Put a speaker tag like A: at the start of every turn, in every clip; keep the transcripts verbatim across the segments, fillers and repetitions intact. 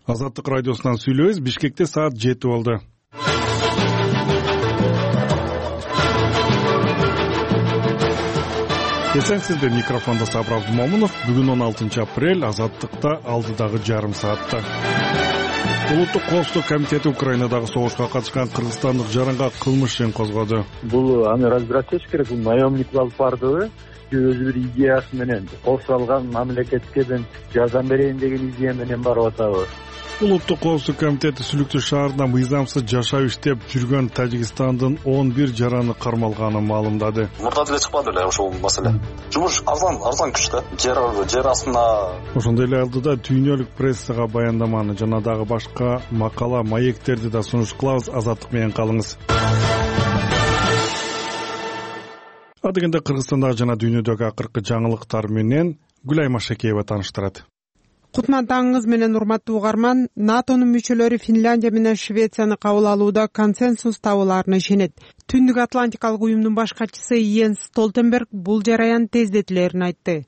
A: Азаттык радиосунан сүйлөбүз. Бишкекте саат жети болду. Эсенсизбе, микрофондо Сабыр Абдумомунов. Бүгүн он алтынчы апрель, Азаттыкта алдыдагы жарым саатта. Улуттук коопсуздук комитети Украинадагы согушка катышкан кыргызстандык жаранга кылмыш ишин козгоду.
B: Бул аны разбираться этиш керек. Бул наемник алып бардыбы? Өзү бир идеясы менен кол салган, мамлекетке мен жардам берейин деген идея менен барып атабы?
A: Улуттук коопсуздук комитети Сүлүктүү шаарында мыйзамсыз жашап иштеп жүргөн Тажикстандын он бир жараны кармалганын маалымдады.
C: Мурда деле чыкпады эле ошол маселе. Жумуш арзан, арзан күчтө. Жер жер астына.
A: Ошондой эле алдыда дүйнөлүк прессага баяндаманы жана дагы башка макала, маектерди да сунуш кылабыз. Азаттык менен калыңыз. Адегенде Кыргызстандагы жана дүйнөдөгү акыркы жаңылыктар менен Гүлай Машекеева тааныштырат.
D: Кутман таңыңыз менен урматтуу угарман. НАТОнун мүчөлөрү Финляндия менен Швецияны кабыл алууда консенсус табылаарына ишенет. Түндүк Атлантикалык уюмдун баш катчысы Йенс Столтенберг бул жараян тездетилерин айтты.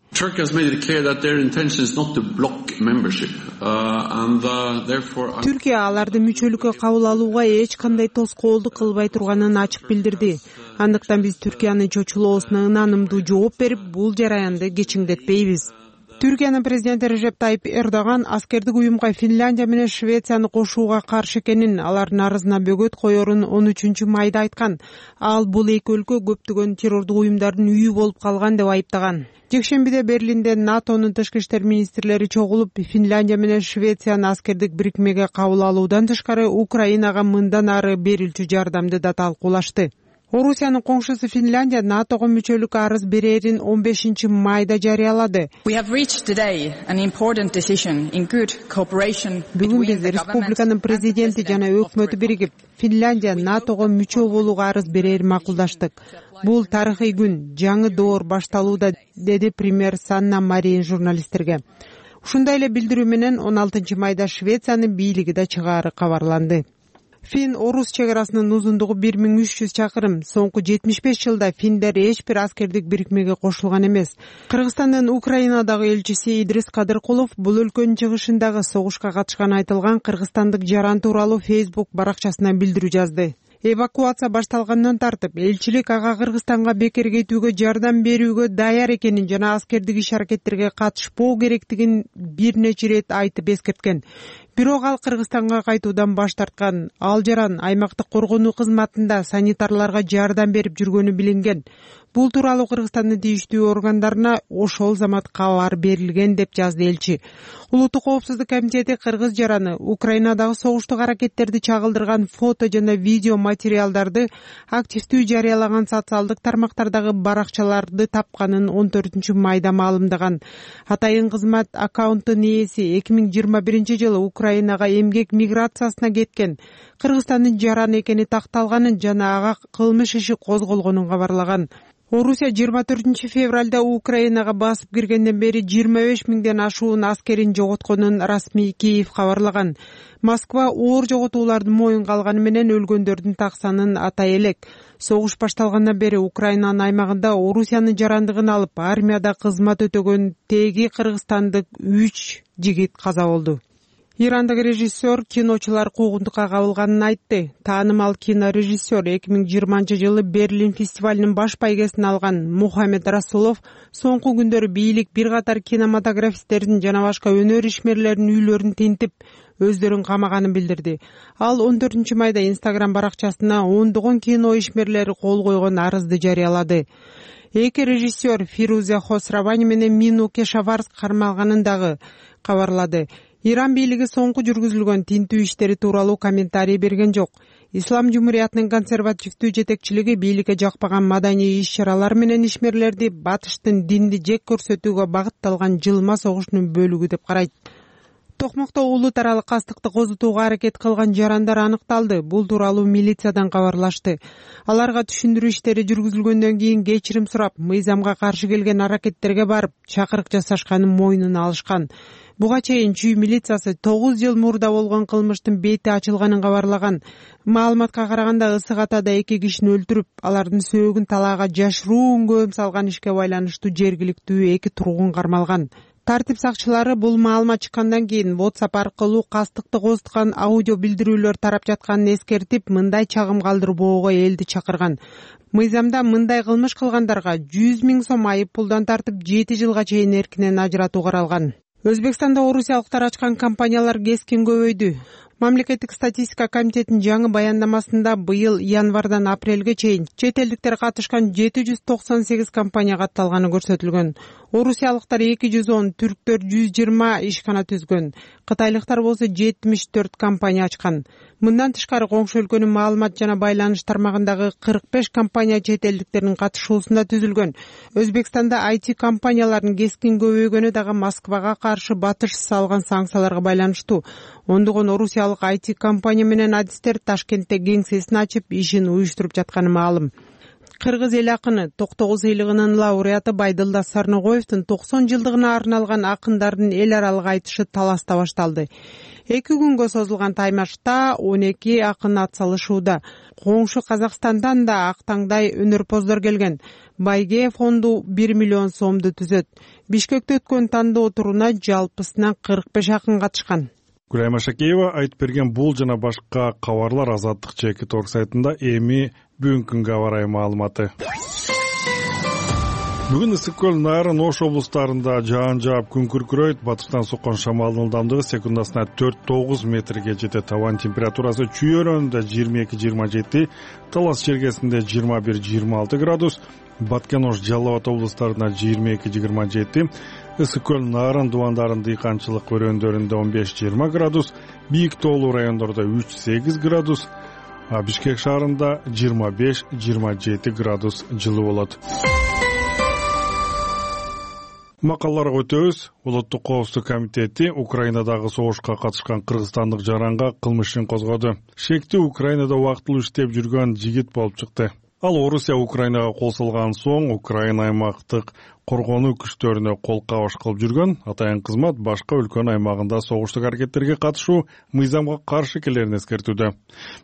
D: Түркия аларды мүчөлүккө кабыл алууга эч кандай тоскоолдук кылбай турганын ачык билдирди. Андыктан биз Түркиянын чочулоосуна ынанымдуу жооп берип, бул жараянды кечиңдетпейбиз. Түркиянын президенти Режеп Тайип Эрдоган аскердик уюмга Финляндия менен Швецияны кошууга каршы экенин, алардын арызына бөгөт коерун он үчүнчү майда айткан. Ал бул эки өлкө көптөгөн террордук уюмдардын үйү болуп калган деп айыптаган. Жекшембиде Берлинде НАТОнун тышкы иштер министрлери чогулуп, Финляндия менен Швецияны аскердик бирикмеге кабыл алуудан тышкары Украинага мындан ары берилчү жардамды да талкуулашты. Орусиянын коңшусу Финляндия НАТОго мүчөлүк арыз берерин он бешинчи майда жарыялады. Бүгүн биз республиканын президенти жана өкмөтү биригип, Финляндия НАТОго мүчө болууга арыз берерин макулдаштык. Бул тарыхый күн, жаңы доор башталууда, деди премьер Санна Марин журналисттерге. Ушундай эле билдирүү менен он алтынчы майда Швециянын бийлиги да чыгаары кабарланды. Фин-Орус чек арасынын узундугу бир миң үч жүз чакырым. Соңку жетимиш беш жылда финдер эч бир аскердик бирикмеге кошулган эмес. Кыргызстандын Украинадагы элчиси Идрис Кадыркулов бул өлкөнүн чыгышындагы согушка катышканы айтылган кыргызстандык жаран тууралуу Facebook баракчасына билдирүү жазды. Эвакуация башталгандан тартып, элчилик ага Кыргызстанга бекер кетүүгө жардам берүүгө даяр экенин жана аскердик иш-аракеттерге катышпоо керектигин бир нече ирет айтып эскерткен. Бирок ал Кыргызстанга кайтуудан баш тарткан. Ал жаран аймактык коргонуу кызматында санитарларга жардам берип жүргөнү билинген. Бул тууралуу Кыргызстандын тийиштүү органдарына ошол замат кабар берилген деп жазды элчи. Улуттук коопсуздук комитети кыргыз жараны Украинадагы согуштук аракеттерди чагылдырган фото жана видео материалдарды активдүү жарыялаган социалдык тармактардагы баракчаларды тапканын он төртүнчү майда маалымдаган. Атайын кызмат аккаунттун ээси эки миң жыйырма биринчи жылы Украинага эмгек миграциясына кеткен Кыргызстандын жараны экени такталганын жана ага кылмыш иши козголгонун кабарлаган. Орусия жыйырма төртүнчү февралда Украинага басып киргенден бери жыйырма беш миңден ашуун аскерин жоготконун расмий Киев кабарлаган. Москва оор жоготуулардын моюнга алганы менен өлгөндөрдүн так санын атай элек. Согуш башталгандан бери Украинанын аймагында Орусиянын жарандыгын алып армияда кызмат өтөгөн теги кыргызстандык үч жигит каза болду. Ирандык режиссер киночулар куугунтукка кабылганын айтты. Таанымал кинорежиссер эки миң жыйырманчы жылы Берлин фестивалынын баш байгесин алган Мухаммед Расулов соңку күндөрү бийлик бир катар кинематографисттердин жана башка өнөр ишмерлеринин үйлөрүн тинтип, өздөрүн камаганын билдирди. Ал он төртүнчү майда Instagram баракчасына ондогон кино ишмерлери кол койгон арызды жарыялады. Эки режиссер Фирузе Хосравани менен Мину Кешаварск кармалганын дагы кабарлады. Иран бийлиги соңку жүргүзүлгөн тинтүү иштери тууралуу комментарий берген жок. Ислам Жумуриятынын консервативдүү жетекчилиги бийликке жакпаган маданий иш-чаралар менен ишмерлерди батыштын динди жек көрсөтүүгө багытталган жылма согушунун бөлүгү деп карайт. Токмокто улут аралык кастыкты козутууга аракет кылган жарандар аныкталды. Бул тууралуу милициядан кабарлашты. Аларга түшүндүрүү иштери жүргүзүлгөндөн кийин кечирим сурап, мыйзамга каршы келген аракеттерге барып, чакырык жасашканын мойнуна алышкан. Буга чейин Чүй милициясы тогуз жыл мурда болгон кылмыштын бети ачылганын кабарлаган. Маалыматка караганда ысык атада эки кишини өлтүрүп, алардын сөөгүн талаага жашыруун көм салган ишке байланыштуу жергиликтүү эки тургун кармалган. Тартип сакчылары бул маалымат чыккандан кийин WhatsApp аркылуу кастыкты козуткан аудио билдирүүлөр тарап жатканын эскертип, мындай чагым калтырбоого элди чакырган. Мыйзамда мындай кылмыш кылгандарга жүз миң сом айып пулдан тартып жети жылга чейин эркинен ажыратуу каралган. Өзбекстанда орусиялыктар ачкан компаниялар кескин көбөйдү. Мамлекеттик статистика комитетинин жаңы баяндамасында быйыл январдан апрелге чейин чет элдиктер катышкан жети жүз токсон сегиз компания катталганы көрсөтүлгөн. Орусиялыктар эки жүз он, түрктөр жүз жыйырма ишкана түзгөн. Кытайлыктар болсо жетимиш төрт компания ачкан. Мындан тышкары коңшу өлкөнүн маалымат жана байланыш тармагындагы кырк беш компания чет элдиктердин катышуусунда түзүлгөн. Өзбекстанда ай ти компаниялардын кескин көбөйгөнү дагы Москвага каршы батыш салган санкцияларга байланыштуу. Ондогон орусиялык ай ти компания менен адистер Ташкентте кеңсесин ачып, ишин уюштуруп жатканы маалым. Кыргыз эл акыны токтогул сыйлыгынын лауреаты Байдылдас Сарногоевдун токсон жылдыгына арналган акындардын эл аралык айтышы Таласта башталды. Эки күнгө созулган таймашта он эки акын ат салышууда. Коңшу Казакстандан да ак таңдай өнөрпоздор келген. Байге фонду бир миллион сомду түзөт. Бишкекте өткөн тандоо туруна жалпысынан кырк беш акын катышкан.
A: Гүлай Машакеева айтып берген бул жана башка кабарлар Азаттык чеки торг сайтында эми бүгүнкү күнгө абарай маалыматы. Бүгүн Ысык көл, Нарын, Ош облустарында жаан жаап күн күркүрөйт. Батыштан соккон шамалдын ылдамдыгы секундасына төрт тогуз метрге жетет. Абанын температурасы Чүй өрөөнүндө жыйырма эки жыйырма жети, Талас чергесинде жыйырма бир жыйырма алты градус, Баткен, Ош, Жалал Абад облустарында жыйырма эки жыйырма жети, Ысык көл, Нарын, Дубандарын дыйканчылык өрөөндөрүндө он беш жыйырма градус, Бийик тоолуу райондордо үч сегиз градус, а Бишкек шаарында жыйырма беш жыйырма жети градус жылуу болот. Макалаларга өтөбүз. Улуттук коопсуздук комитети Украинадагы согушка катышкан кыргызстандык жаранга кылмыш ишин козгоду. Шектүү Украинада убактылуу иштеп жүргөн жигит болуп чыкты. Ал Орусия Украинага кол салган соң Украина аймактык коргонуу күчтөрүнө кол кабыш кылып жүргөн. Атайын кызмат башка өлкөнүн аймагында согуштук аракеттерге катышуу мыйзамга каршы экенин эскертүүдө.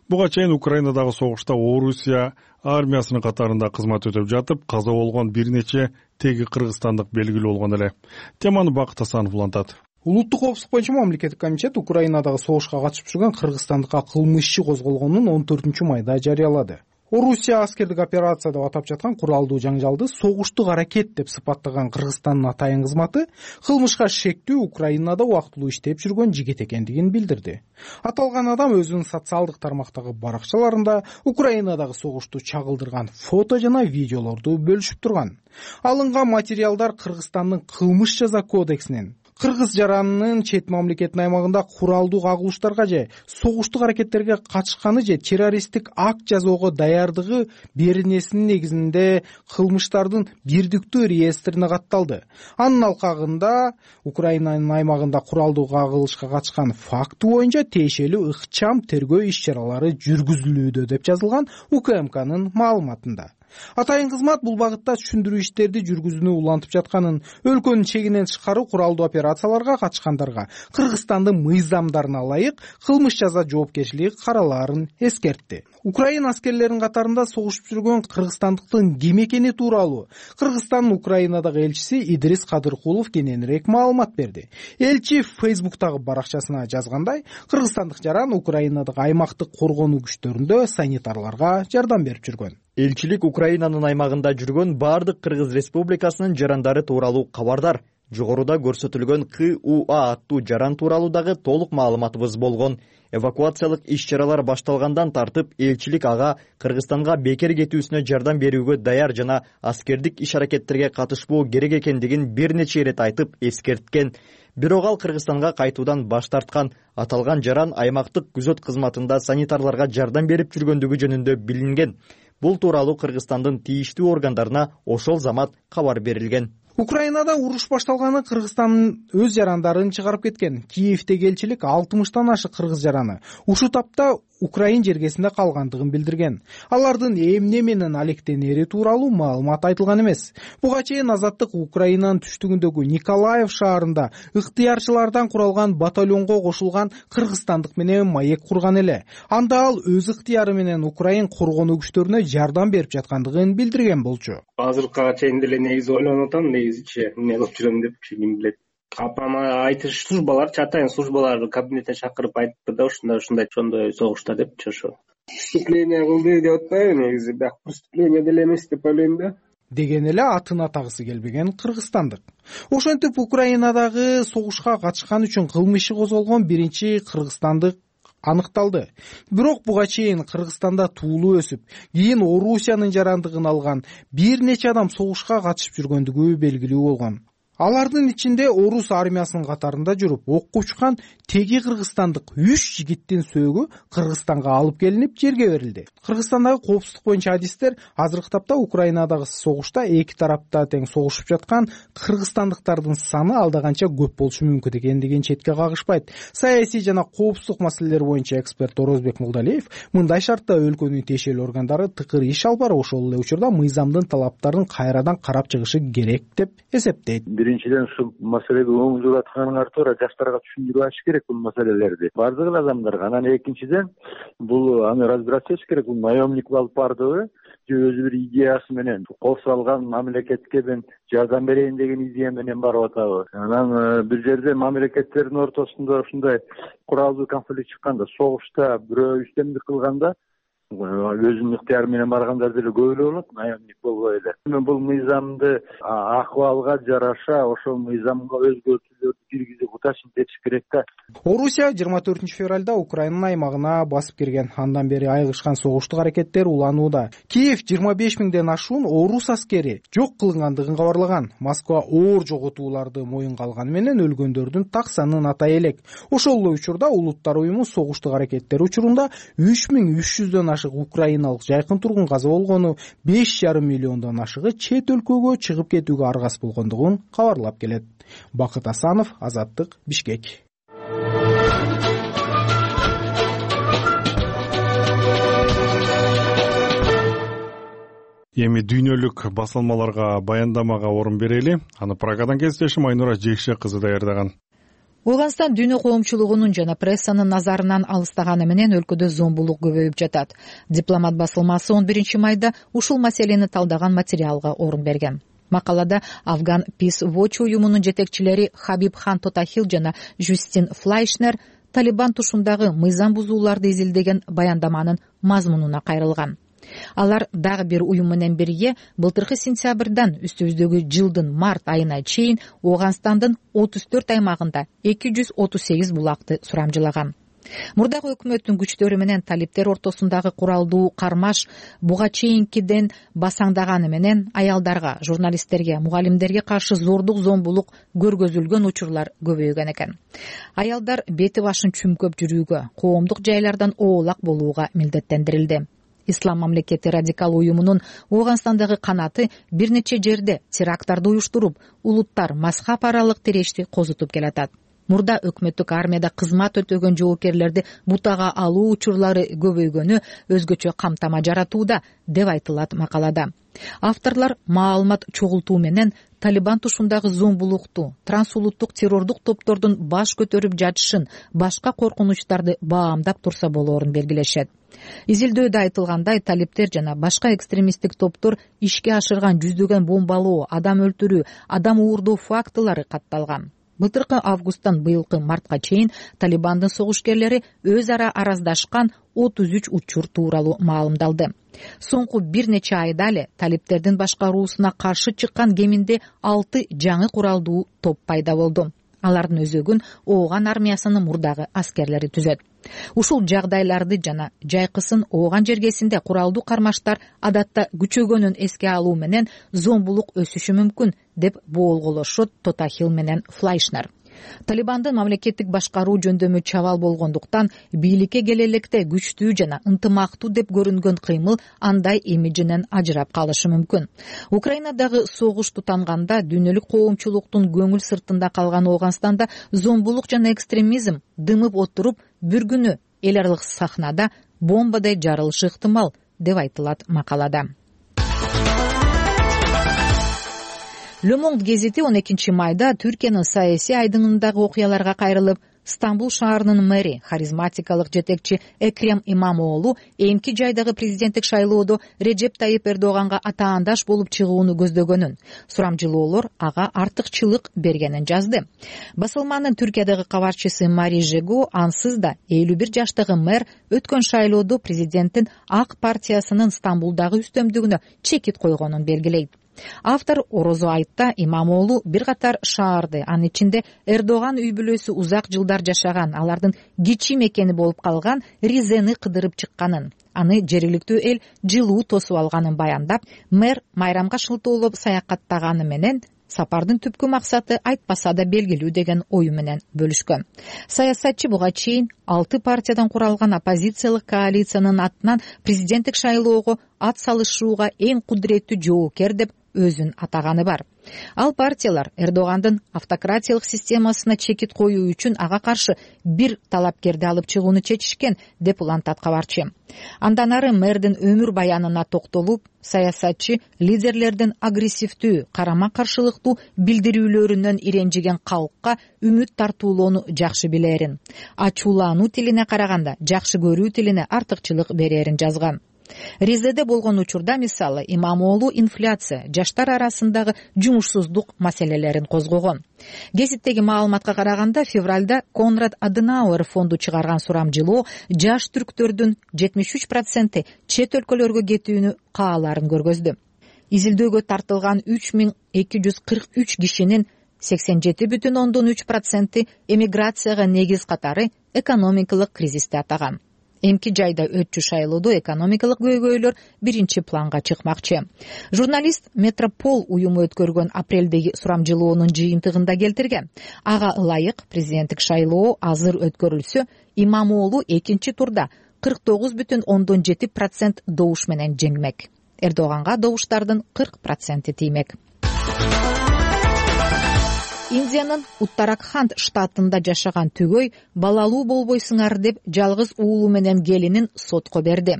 A: Буга чейин Украинадагы согушта Орусия армиясынын катарында кызмат өтөп жатып, каза болгон бир нече теги кыргызстандык белгилүү болгон эле. Теманы Бакыт Асанов улантат.
E: Улуттук коопсуздук боюнча мамлекеттик комитет Украинадагы согушка катышып жүргөн кыргызстандыкка кылмыш иши козголгонун он төртүнчү майда жарыялады. Орусия аскердик операция деп атап жаткан куралдуу жаңжалды согуштук аракет деп сыпаттаган Кыргызстандын атайын кызматы кылмышка шектүү Украинада убактылуу иштеп жүргөн жигит экендигин билдирди. Аталган адам өзүнүн социалдык тармактагы баракчаларында Украинадагы согушту чагылдырган фото жана видеолорду бөлүшүп турган. Алынган материалдар Кыргызстандын кылмыш жаза кодексинин кыргыз жаранынын чет мамлекеттин аймагында куралдуу кагылыштарга же согуштук аракеттерге катышканы же террористтик акт жасоого даярдыгы беренесинин негизинде кылмыштардын бирдиктүү реестрине катталды. Анын алкагында Украинанын аймагында куралдуу кагылышка катышкан факты боюнча тиешелүү ыкчам тергөө иш чаралары жүргүзүлүүдө деп жазылган У К М Кнын маалыматында. Атайын кызмат бул багытта түшүндүрүү иштерди жүргүзүүнү улантып жатканын, өлкөнүн чегинен тышкары куралдуу операцияларга катышкандарга Кыргызстандын мыйзамдарына ылайык кылмыш жаза жоопкерчилиги каралаарын эскертти. Украина аскерлеринин катарында согушуп жүргөн кыргызстандыктын ким экени тууралуу Кыргызстандын Украинадагы элчиси Идрис Кадыркулов кененирээк маалымат берди. Элчи Фейсбуктагы баракчасына жазгандай, кыргызстандык жаран Украинадагы аймактык коргонуу күчтөрүндө санитарларга жардам берип жүргөн.
F: Элчилик Украинанын аймагында жүргөн бардык Кыргыз Республикасынын жарандары тууралуу кабардар. Жогоруда көрсөтүлгөн К У А аттуу жаран тууралуу дагы толук маалыматыбыз болгон. Эвакуациялык иш-чаралар башталгандан тартып, элчилик ага Кыргызстанга бекер кетүүсүнө жардам берүүгө даяр жана аскердик иш-аракеттерге катышпоо керек экендигин бир нече ирет айтып эскерткен. Бирок ал Кыргызстанга кайтуудан баш тарткан. Аталган жаран аймактык күзөт кызматында санитарларга жардам берип жүргөндүгү жөнүндө билинген. Бул тууралуу Кыргызстандын тийиштүү органдарына ошол замат кабар берилген.
E: Украинада уруш башталганы Кыргызстандын өз жарандарын чыгарып кеткен. Киевдеги элчилик алтымыштан ашык кыргыз жараны ушул тапта Украин жергесинде калгандыгын билдирген. Алардын эмне менен алектенери тууралуу маалымат айтылган эмес. Буга чейин Азаттык Украинанын түштүгүндөгү Николаев шаарында ыктыярчылардан куралган батальонго кошулган кыргызстандык менен маек курган эле. Анда ал өз ыктыяры менен Украин коргонуу күчтөрүнө жардам берип жаткандыгын билдирген болчу.
G: Азыркыга чейин деле негизи ойлонуп атам, негизичи эмне кылып жүрөм деп ким билет. апама айтыш службаларчы атайын службаларды кабинетине чакырып айтыпты да ушундай ушундай чондой согушта депчи. Ошо преступление кылды деп атпайбы, негизи бирок преступление деле эмес деп ойлойм да,
E: деген эле атын атагысы келбеген кыргызстандык. Ошентип Украинадагы согушка катышкан үчүн кылмыш иши козголгон биринчи кыргызстандык аныкталды. Бирок буга чейин Кыргызстанда туулуп өсүп, кийин Орусиянын жарандыгын алган бир нече адам согушка катышып жүргөндүгү белгилүү болгон. Алардын ичинде орус армиясынын катарында жүрүп окко учкан теги кыргызстандык үч жигиттин сөөгү Кыргызстанга алып келинип жерге берилди. Кыргызстандагы коопсуздук боюнча адистер азыркы тапта Украинадагы согушта эки тарапта тең согушуп жаткан кыргызстандыктардын саны алда канча көп болушу мүмкүн экендигин четке кагышпайт. Саясий жана коопсуздук маселелер боюнча эксперт Орозбек Мулдалиев мындай шартта өлкөнүн тиешелүү органдары тыкыр иш алып барып, ошол эле учурда мыйзамдын талаптарын кайрадан карап чыгышы керек деп эсептейт.
B: Биринчиден ушул маселеге оң жүрүп атканыңар туура, жаштарга түшүндүрүп ачыш керек бул маселелерди. Бардык эле адамдарга. Анан экинчиден бул аны разбираться этиш керек. Бул наемник алып бардыбы, же өзү бир идеясы менен кол салган мамлекетке мен жардам берейин деген идея менен барып атабы. Анан бир жерде мамлекеттердин ортосунда ушундай куралдуу конфликт чыкканда, согушта бирөө үстөмдүк кылганда өзүнүн ыктыяры менен баргандар деле көп эле болот, наемник болбой эле. Бул мыйзамды акыбалга жараша ошол мыйзамга өзгөртүүлөрдү киргизип уташын этиш керек да.
E: Орусия жыйырма төртүнчү февралда Украинанын аймагына басып кирген. Андан бери айыгышкан согуштук аракеттер уланууда. Киев жыйырма беш миңден ашуун орус аскери жок кылынгандыгын кабарлаган. Москва оор жоготууларды моюнга алганы менен өлгөндөрдүн так санын атай элек. Ошол эле учурда Улуттар уюму согуштук аракеттер учурунда үч миң үч жүздөн ашык украиналык жайкын тургун каза болгону, беш жарым миллиондон ашыгы чет өлкөгө чыгып кетүүгө аргас болгондугун кабарлап келет. Бакыт Асанов, Азаттык, Бишкек.
A: Эми дүйнөлүк басылмаларга баяндамага орун берели. Аны Прагадан кесиптешим Айнура Жекше кызы даярдаган.
H: Ооганстан дүйнө коомчулугунун жана прессанын назарынан алыстаганы менен өлкөдө зомбулук көбөйүп жатат. Дипломат басылмасы он биринчи майда ушул маселени талдаган материалга орун берген. Макалада Афган Peace Watch уюмунун жетекчилери Хабиб Хан Тотахил жана Жустин Флайшнер Талибан тушундагы мыйзам бузууларды изилдеген баяндаманын мазмунуна кайрылган. Алар дагы бир уюм менен бирге былтыркы сентябрдан үстүбүздөгү жылдын март айына чейин Ооганстандын отуз төрт аймагында эки жүз отуз сегиз булакты сурамжылаган. Мурдагы өкмөттүн күчтөрү менен талиптер ортосундагы куралдуу кармаш буга чейинкиден басаңдаганы менен аялдарга, журналисттерге, мугалимдерге каршы зордук, зомбулук көргөзүлгөн учурлар көбөйгөн экен. Аялдар бети башын чүмкөп жүрүүгө, коомдук жайлардан оолак болууга милдеттендирилди. Ислам мамлекети радикал уюмунун Ооганстандагы канаты бир нече жерде теракттарды уюштуруп, улуттар мазхаб аралык тирешти козутуп келатат. Мурда өкмөттүк армияда кызмат өтөгөн жоокерлерди бутага алуу учурлары көбөйгөнү өзгөчө камтама жаратууда деп айтылат макалада. Авторлор маалымат чогултуу менен Талибан тушундагы зомбулукту, трансулуттук террордук топтордун баш көтөрүп жатышын, башка коркунучтарды баамдап турса болоорун белгилешет. Изилдөөдө айтылгандай, талиптер жана башка экстремисттик топтор ишке ашырган жүздөгөн бомбалоо, адам өлтүрүү, адам уурдоо фактылары катталган. Былтыркы августтан быйылкы мартка чейин Талибандын согушкерлери өз ара араздашкан отуз үч учур тууралуу маалымдалды. Соңку бир нече айда эле талиптердин башкаруусуна каршы чыккан кеминде алты жаңы куралдуу топ пайда болду. Алардын өзөгүн Ооган армиясынын мурдагы аскерлери түзөт. Ушул жагдайларды жана жайкысын Ооган жергесинде куралдуу кармаштар адатта күчөгөнүн эске алуу менен зомбулук өсүшү мүмкүн деп боолголошот Тотахил менен Флайшнер. Талибандын мамлекеттик башкаруу жөндөмү чабал болгондуктан бийликке келе электе күчтүү жана ынтымактуу деп көрүнгөн кыймыл андай имиджинен ажырап калышы мүмкүн. Украинадагы согуш тутанганда дүйнөлүк коомчулуктун көңүл сыртында калган Ооганстанда зомбулук жана экстремизм дымып отуруп, бир күнү эл аралык сахнада бомбадай жарылышы ыктымал деп айтылат макалада. Le Monde гезити он экинчи майда Түркиянын саясий айдыңындагы окуяларга кайрылып, Стамбул шаарынын мэри, харизматикалык жетекчи Экрем Имамоğlu эмки жайдагы президенттик шайлоодо Режеп Тайип Эрдоганга атаандаш болуп чыгууну көздөгөнүн, сурамжылоолор ага артыкчылык бергенин жазды. Басылманын Түркиядагы кабарчысы Мари Жего ансыз да элүү бир жаштагы мэр өткөн шайлоодо президенттин ак партиясынын Стамбулдагы үстөмдүгүнө чекит койгонун белгилейт. Автор орозо айтта Имамоğlu бир катар шаарды, анын ичинде Эрдоган үй бүлөсү узак жылдар жашаган, алардын кичи мекени болуп калган Ризени кыдырып чыкканын, аны жергиликтүү эл жылуу тосуп алганын баяндап, мэр майрамга шылтоолоп саякаттаганы менен сапардын түпкү максаты айтпаса да белгилүү деген ою менен бөлүшкөн. Саясатчы буга чейин алты партиядан куралган оппозициялык коалициянын атынан президенттик шайлоого ат салышууга эң кудуреттүү жоокер деп өзүн атаганы бар. Ал партиялар Эрдогандын автократиялык системасына чекит коюу үчүн ага каршы бир талапкерди алып чыгууну чечишкен, деп улантат кабарчы. Андан ары мэрдин өмүр баянына токтолуп, саясатчы лидерлердин агрессивдүү, карама каршылыктуу билдирүүлөрүнөн иренжиген калкка үмүт тартуулоону жакшы билерин, ачуулануу тилине караганда жакшы көрүү тилине артыкчылык берерин жазган. Ризеде болгон учурда мисалы Имамоğlu инфляция, жаштар арасындагы жумушсуздук маселелерин козгогон. Гезиттеги маалыматка караганда февралда Конрад Аденауэр фонду чыгарган сурамжылоо жаш түрктөрдүн жетимиш үч проценти чет өлкөлөргө кетүүнү кааларын көргөздү. Изилдөөгө тартылган үч миң эки жүз кырк үч кишинин сексен жети бүтүн ондон үч проценти эмиграцияга негиз катары экономикалык кризисти атаган. Эмки жайда өтчү шайлоодо экономикалык көйгөйлөр биринчи планга чыкмакчы. Журналист Метропол уюму өткөргөн апрелдеги сурамжылоонун жыйынтыгында келтирген. Ага ылайык президенттик шайлоо азыр өткөрүлсө, Имамоğlu экинчи турда кырк тогуз бүтүн ондон жети процент добуш менен жеңмек. Эрдоганга добуштардын кырк проценти тиймек. Индиянын Уттаракханд штатында жашаган түгөй балалуу болбойсуңар деп жалгыз уулу менен келинин сотко берди.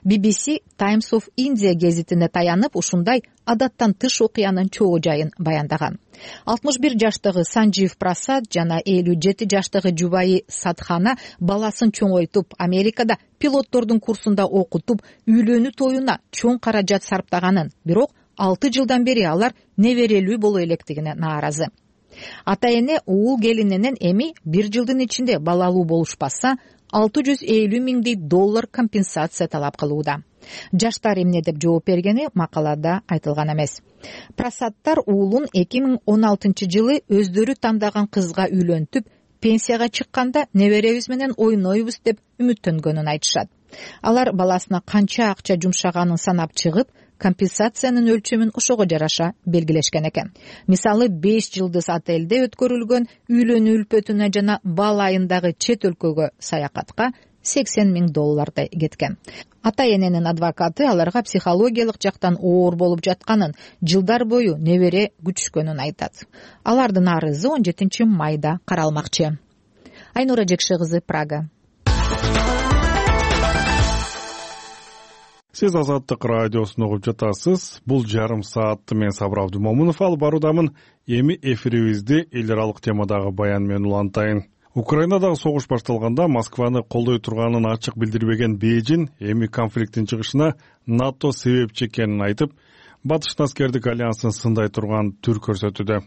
H: би би си Times of India гезитине таянып, ушундай адаттан тыш окуянын чоо жайын баяндаган. алтымыш бир жаштагы Санжив Прасад жана элүү жети жаштагы жубайы Садхана баласын чоңойтуп, Америкада пилоттордун курсунда окутуп, үйлөнүү тоюна чоң каражат сарптаганын, бирок алты жылдан бери алар неберелүү боло электигине нааразы. Ата-эне уул келининен эми бир жылдын ичинде балалуу болушпаса, алты жүз элүү миңдей доллар компенсация талап кылууда. Жаштар эмне деп жооп бергени макалада айтылган эмес. Прасадтар уулун эки миң он алтынчы жылы өздөрү тандаган кызга үйлөнтүп, пенсияга чыкканда неберебиз менен ойнойбуз деп үмүттөнгөнүн айтышат. Алар баласына канча акча жумшаганын санап чыгып, компенсациянын өлчөмүн ошого жараша белгилешкен экен. Мисалы, беш жылдыз отелде өткөрүлгөн үйлөнүү үлпөтүнө жана бал айындагы чет өлкөгө саякатка сексен миң доллардай кеткен. Ата-эненин адвокаты аларга психологиялык жактан оор болуп жатканын, жылдар бою небере күчүшкөнүн айтат. Алардын арызы он жетинчи майда каралмакчы. Айнура Жекше кызы, Прага.
A: Сиз Азаттык радиосун угуп жатасыз. Бул жарым саатты мен Сабыр Абдумомунов алып баруудамын. Эми эфирибизди эл аралык темадагы баян менен улантайын. Украинадагы согуш башталганда Москваны колдой турганын ачык билдирбеген Бейжин эми конфликттин чыгышына НАТО себепчи экенин айтып, Батыштын аскердик альянсын сындай турган түр көрсөтүүдө.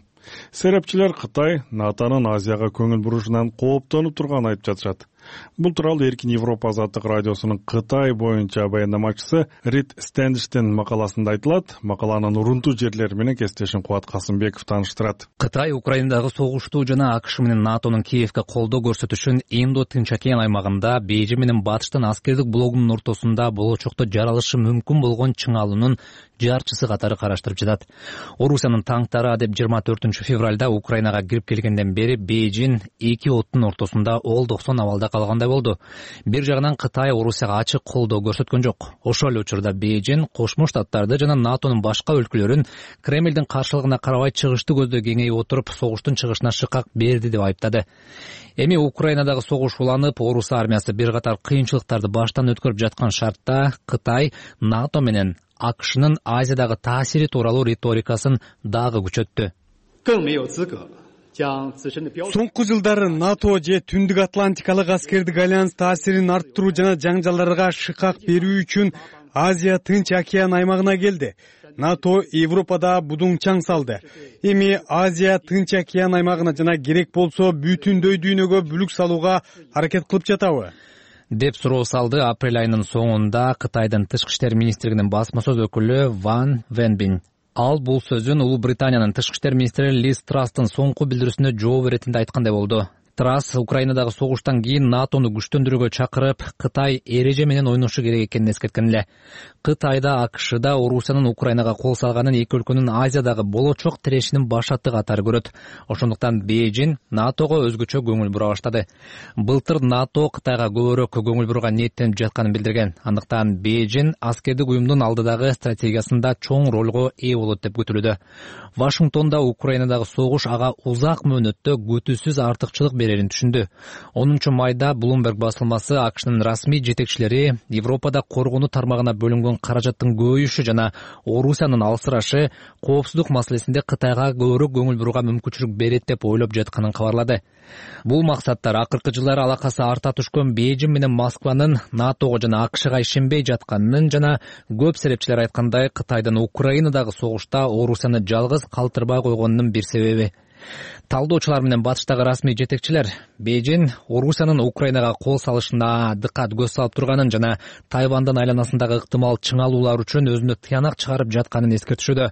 A: Серепчилер Кытай НАТОнун Азияга көңүл бурушунан кооптонуп турганын айтып жатышат. Бул тууралуу Эркин Европа Азаттык радиосунун Кытай боюнча баяндамачысы Рид Стэндиштин макаласында айтылат. Макаланын урунтуу жерлери менен кесиптешим Кубат Касымбеков тааныштырат.
I: Кытай Украинадагы согушту жана АКШ менен НАТОнун Киевге колдоо көрсөтүшүн Индо-Тынч океан аймагында Бейжин менен Батыштын аскердик блогунун ортосунда болочокто жаралышы мүмкүн болгон чыңалуунун жарчысы катары караштырып жатат. Орусиянын танктары деп жыйырма төртүнчү февралда Украинага кирип келгенден бери Бейжин эки оттун ортосунда ол токсон абалда калгандай болду. Бир жагынан Кытай Орусияга ачык колдоо көрсөткөн жок. Ошол эле учурда Бейжин Кошмо Штаттарды жана НАТОнун башка өлкөлөрүн Кремлдин каршылыгына карабай чыгышты көздөө кеңейип отуруп, согуштун чыгышына шыкак берди деп айыптады. Эми Украинадагы согуш уланып, Орус армиясы бир катар кыйынчылыктарды баштан өткөрүп жаткан шартта Кытай НАТО менен АКШнын Азиядагы таасири тууралуу риторикасын дагы күчөттү.
J: соңку жылдары НАТО же Түндүк Атлантикалык аскердик альянс таасирин арттыруу жана жаңжалдарга шыкак берүү үчүн Азия Тынч океан аймагына келди. НАТО Европада будуңчаң салды. Эми Азия Тынч океан аймагына жана керек болсо бүтүндөй дүйнөгө бүлүк салууга аракет кылып жатабы?
I: деп суроо салды апрель айынын соңунда Кытайдын тышкы иштер министрлигинин басма сөз өкүлү Ван Венбин. Ал бул сөзүн Улуу Британиянын тышкы иштер министри Лиз Трастын соңку билдирүүсүнө жооп иретинде айткандай болду. Трасс Украинадагы согуштан кийин НАТОну күчтөндүрүүгө чакырып, Кытай эреже менен ойношу керек экенин эскерткен эле. Кытайда, АКШда Орусиянын Украинага кол салганын эки өлкөнүн Азиядагы болочок тирешинин башаты катары көрөт. Ошондуктан Бейжин НАТОго өзгөчө көңүл бура баштады. Былтыр НАТО Кытайга көбүрөөк көңүл бурууга ниеттенип жатканын билдирген. Андыктан Бейжин аскердик уюмдун алдыдагы стратегиясында чоң ролго ээ болот деп күтүлүүдө. Вашингтонда Украинадагы согуш ага узак мөөнөттө күтүүсүз артыкчылык берерин түшүндү. онунчу майда Bloomberg басылмасы АКШнын расмий жетекчилери Европада коргонуу тармагына бөлүнгөн каражаттын көбөйүшү жана Орусиянын алсырашы коопсуздук маселесинде Кытайга көбүрөөк көңүл бурууга мүмкүнчүлүк берет деп ойлоп жатканын кабарлады. Бул максаттар акыркы жылдары алакасы арта түшкөн Бейжин менен Москванын НАТОго жана АКШга ишенбей жатканын жана көп серепчилер айткандай Кытайдын Украинадагы согушта Орусияны жалгыз калтырбай койгонунун бир себеби. Талдоочулар менен батыштагы расмий жетекчилер Бейжин Орусиянын Украинага кол салышына дыкат көз салып турганын жана Тайвандын айланасындагы ыктымал чыңалуулар үчүн өзүнө тыянак чыгарып жатканын эскертишүүдө.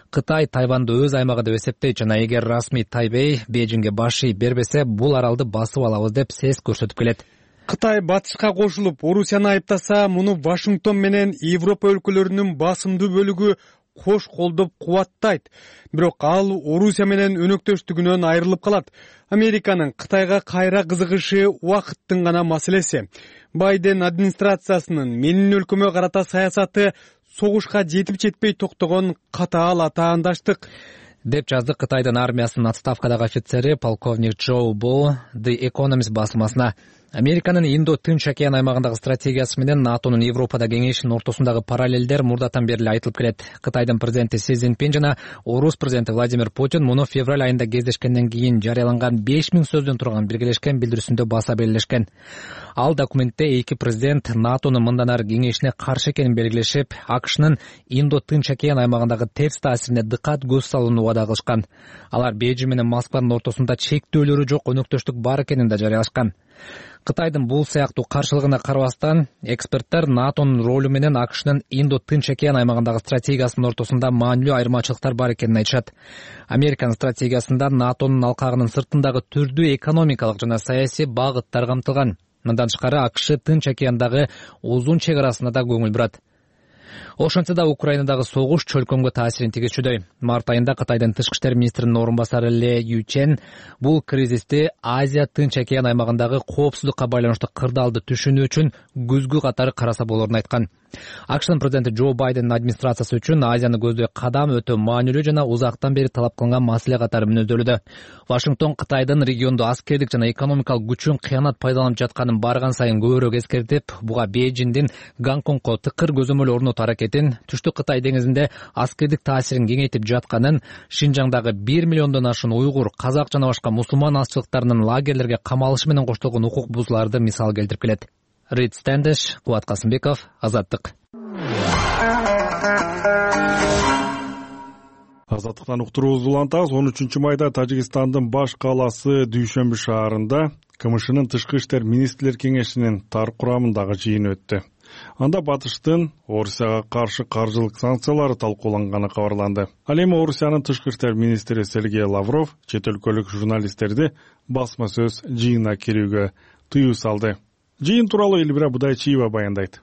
I: Кытай Тайванды өз аймагы деп эсептейт жана эгер расмий Тайбей Бейжинге баш ийип бербесе, бул аралды басып алабыз деп сес көрсөтүп келет.
J: Кытай батышка кошулуп Орусияны айыптаса, муну Вашингтон менен Европа өлкөлөрүнүн басымдуу бөлүгү кош колдоп кубаттайт. Бирок ал Орусия менен өнөктөштүгүнөн айрылып калат. Американын Кытайга кайра кызыгышы убакыттын гана маселеси. Байден администрациясынын менин өлкөмө карата саясаты согушка жетип жетпей токтогон катаал атаандаштык
I: деп жазды Кытайдын армиясынын отставкадагы офицери полковник Джоу Бо The Economist басылмасына. Американын Индо-Тынч океан аймагындагы стратегиясы менен НАТОнун Европада кеңешинин ортосундагы параллелдер мурдатан бери айтылып келет. Кытайдын президенти Си Цзиньпин жана Орус президенти Владимир Путин муну февраль айында кездешкенден кийин жарыяланган беш миң сөздөн турган биргелешкен билдирүүсүндө баса белгилешкен. Ал документте эки президент НАТОнун мындан ары кеңешине каршы экенин белгилешип, АКШнын Индо-Тынч океан аймагындагы терс таасирине дыкат көз салууну убада кылышкан. Алар Бейжин менен Москванын ортосунда чектөөлөрү жок өнөктөштүк бар экенин да жарыялашкан. Кытайдын бул сыяктуу каршылыгына карабастан, эксперттер НАТОнун ролу менен АКШнын Индо-Тынч океан аймагындагы стратегиясынын ортосунда маанилүү айырмачылыктар бар экенин айтышат. Американын стратегиясында НАТОнун алкагынын сыртындагы түрдүү экономикалык жана саясий багыттар камтылган. Мындан тышкары АКШ Тынч океандагы узун чек арасына да көңүл бурат. Ошентсе да Украинадагы согуш чөлкөмгө таасирин тийгизүүдө. Март айында Кытайдын тышкы иштер министринин орун басары Ле Ючен бул кризисти Азия Тынч океан аймагындагы коопсуздукка байланыштуу кырдаалды түшүнүү үчүн күзгү катары караса болорун айткан. АКШнын президенти Джо Байдендин администрациясы үчүн Азияны көздөй кадам өтө маанилүү жана узактан бери талап кылынган маселе катары мүнөздөлүүдө. Вашингтон Кытайдын региондо аскердик жана экономикалык күчүн кыянат пайдаланып жатканын барган сайын көбүрөөк эскертип, буга Бейжиндин Гонконгго тыкыр көзөмөл орнотуу аракетин, Түштүк Кытай деңизинде аскердик таасирин кеңейтип жатканын, Шинжаңдагы бир миллиондон ашуун уйгур, казак жана башка мусулман азчылыктарынын лагерлерге камалышы менен коштолгон укук бузууларды мисал келтирип келет. Рид Стендеш, Кубат Касымбеков, Азаттык.
A: Азаттыктан уктуруубузду улантабыз. он үчүнчү майда Тажикстандын баш кааласы Дүйшөмбү шаарында КМШнын тышкы иштер министрлер кеңешинин тар курамындагы жыйын өттү. Анда батыштын Орусияга каршы каржылык санкциялары талкууланганы кабарланды. Ал эми Орусиянын тышкы иштер министри Сергей Лавров чет өлкөлүк журналисттерди басма сөз жыйына кирүүгө тыюу салды. Жыйын тууралуу Элбира Будайчиева баяндайт.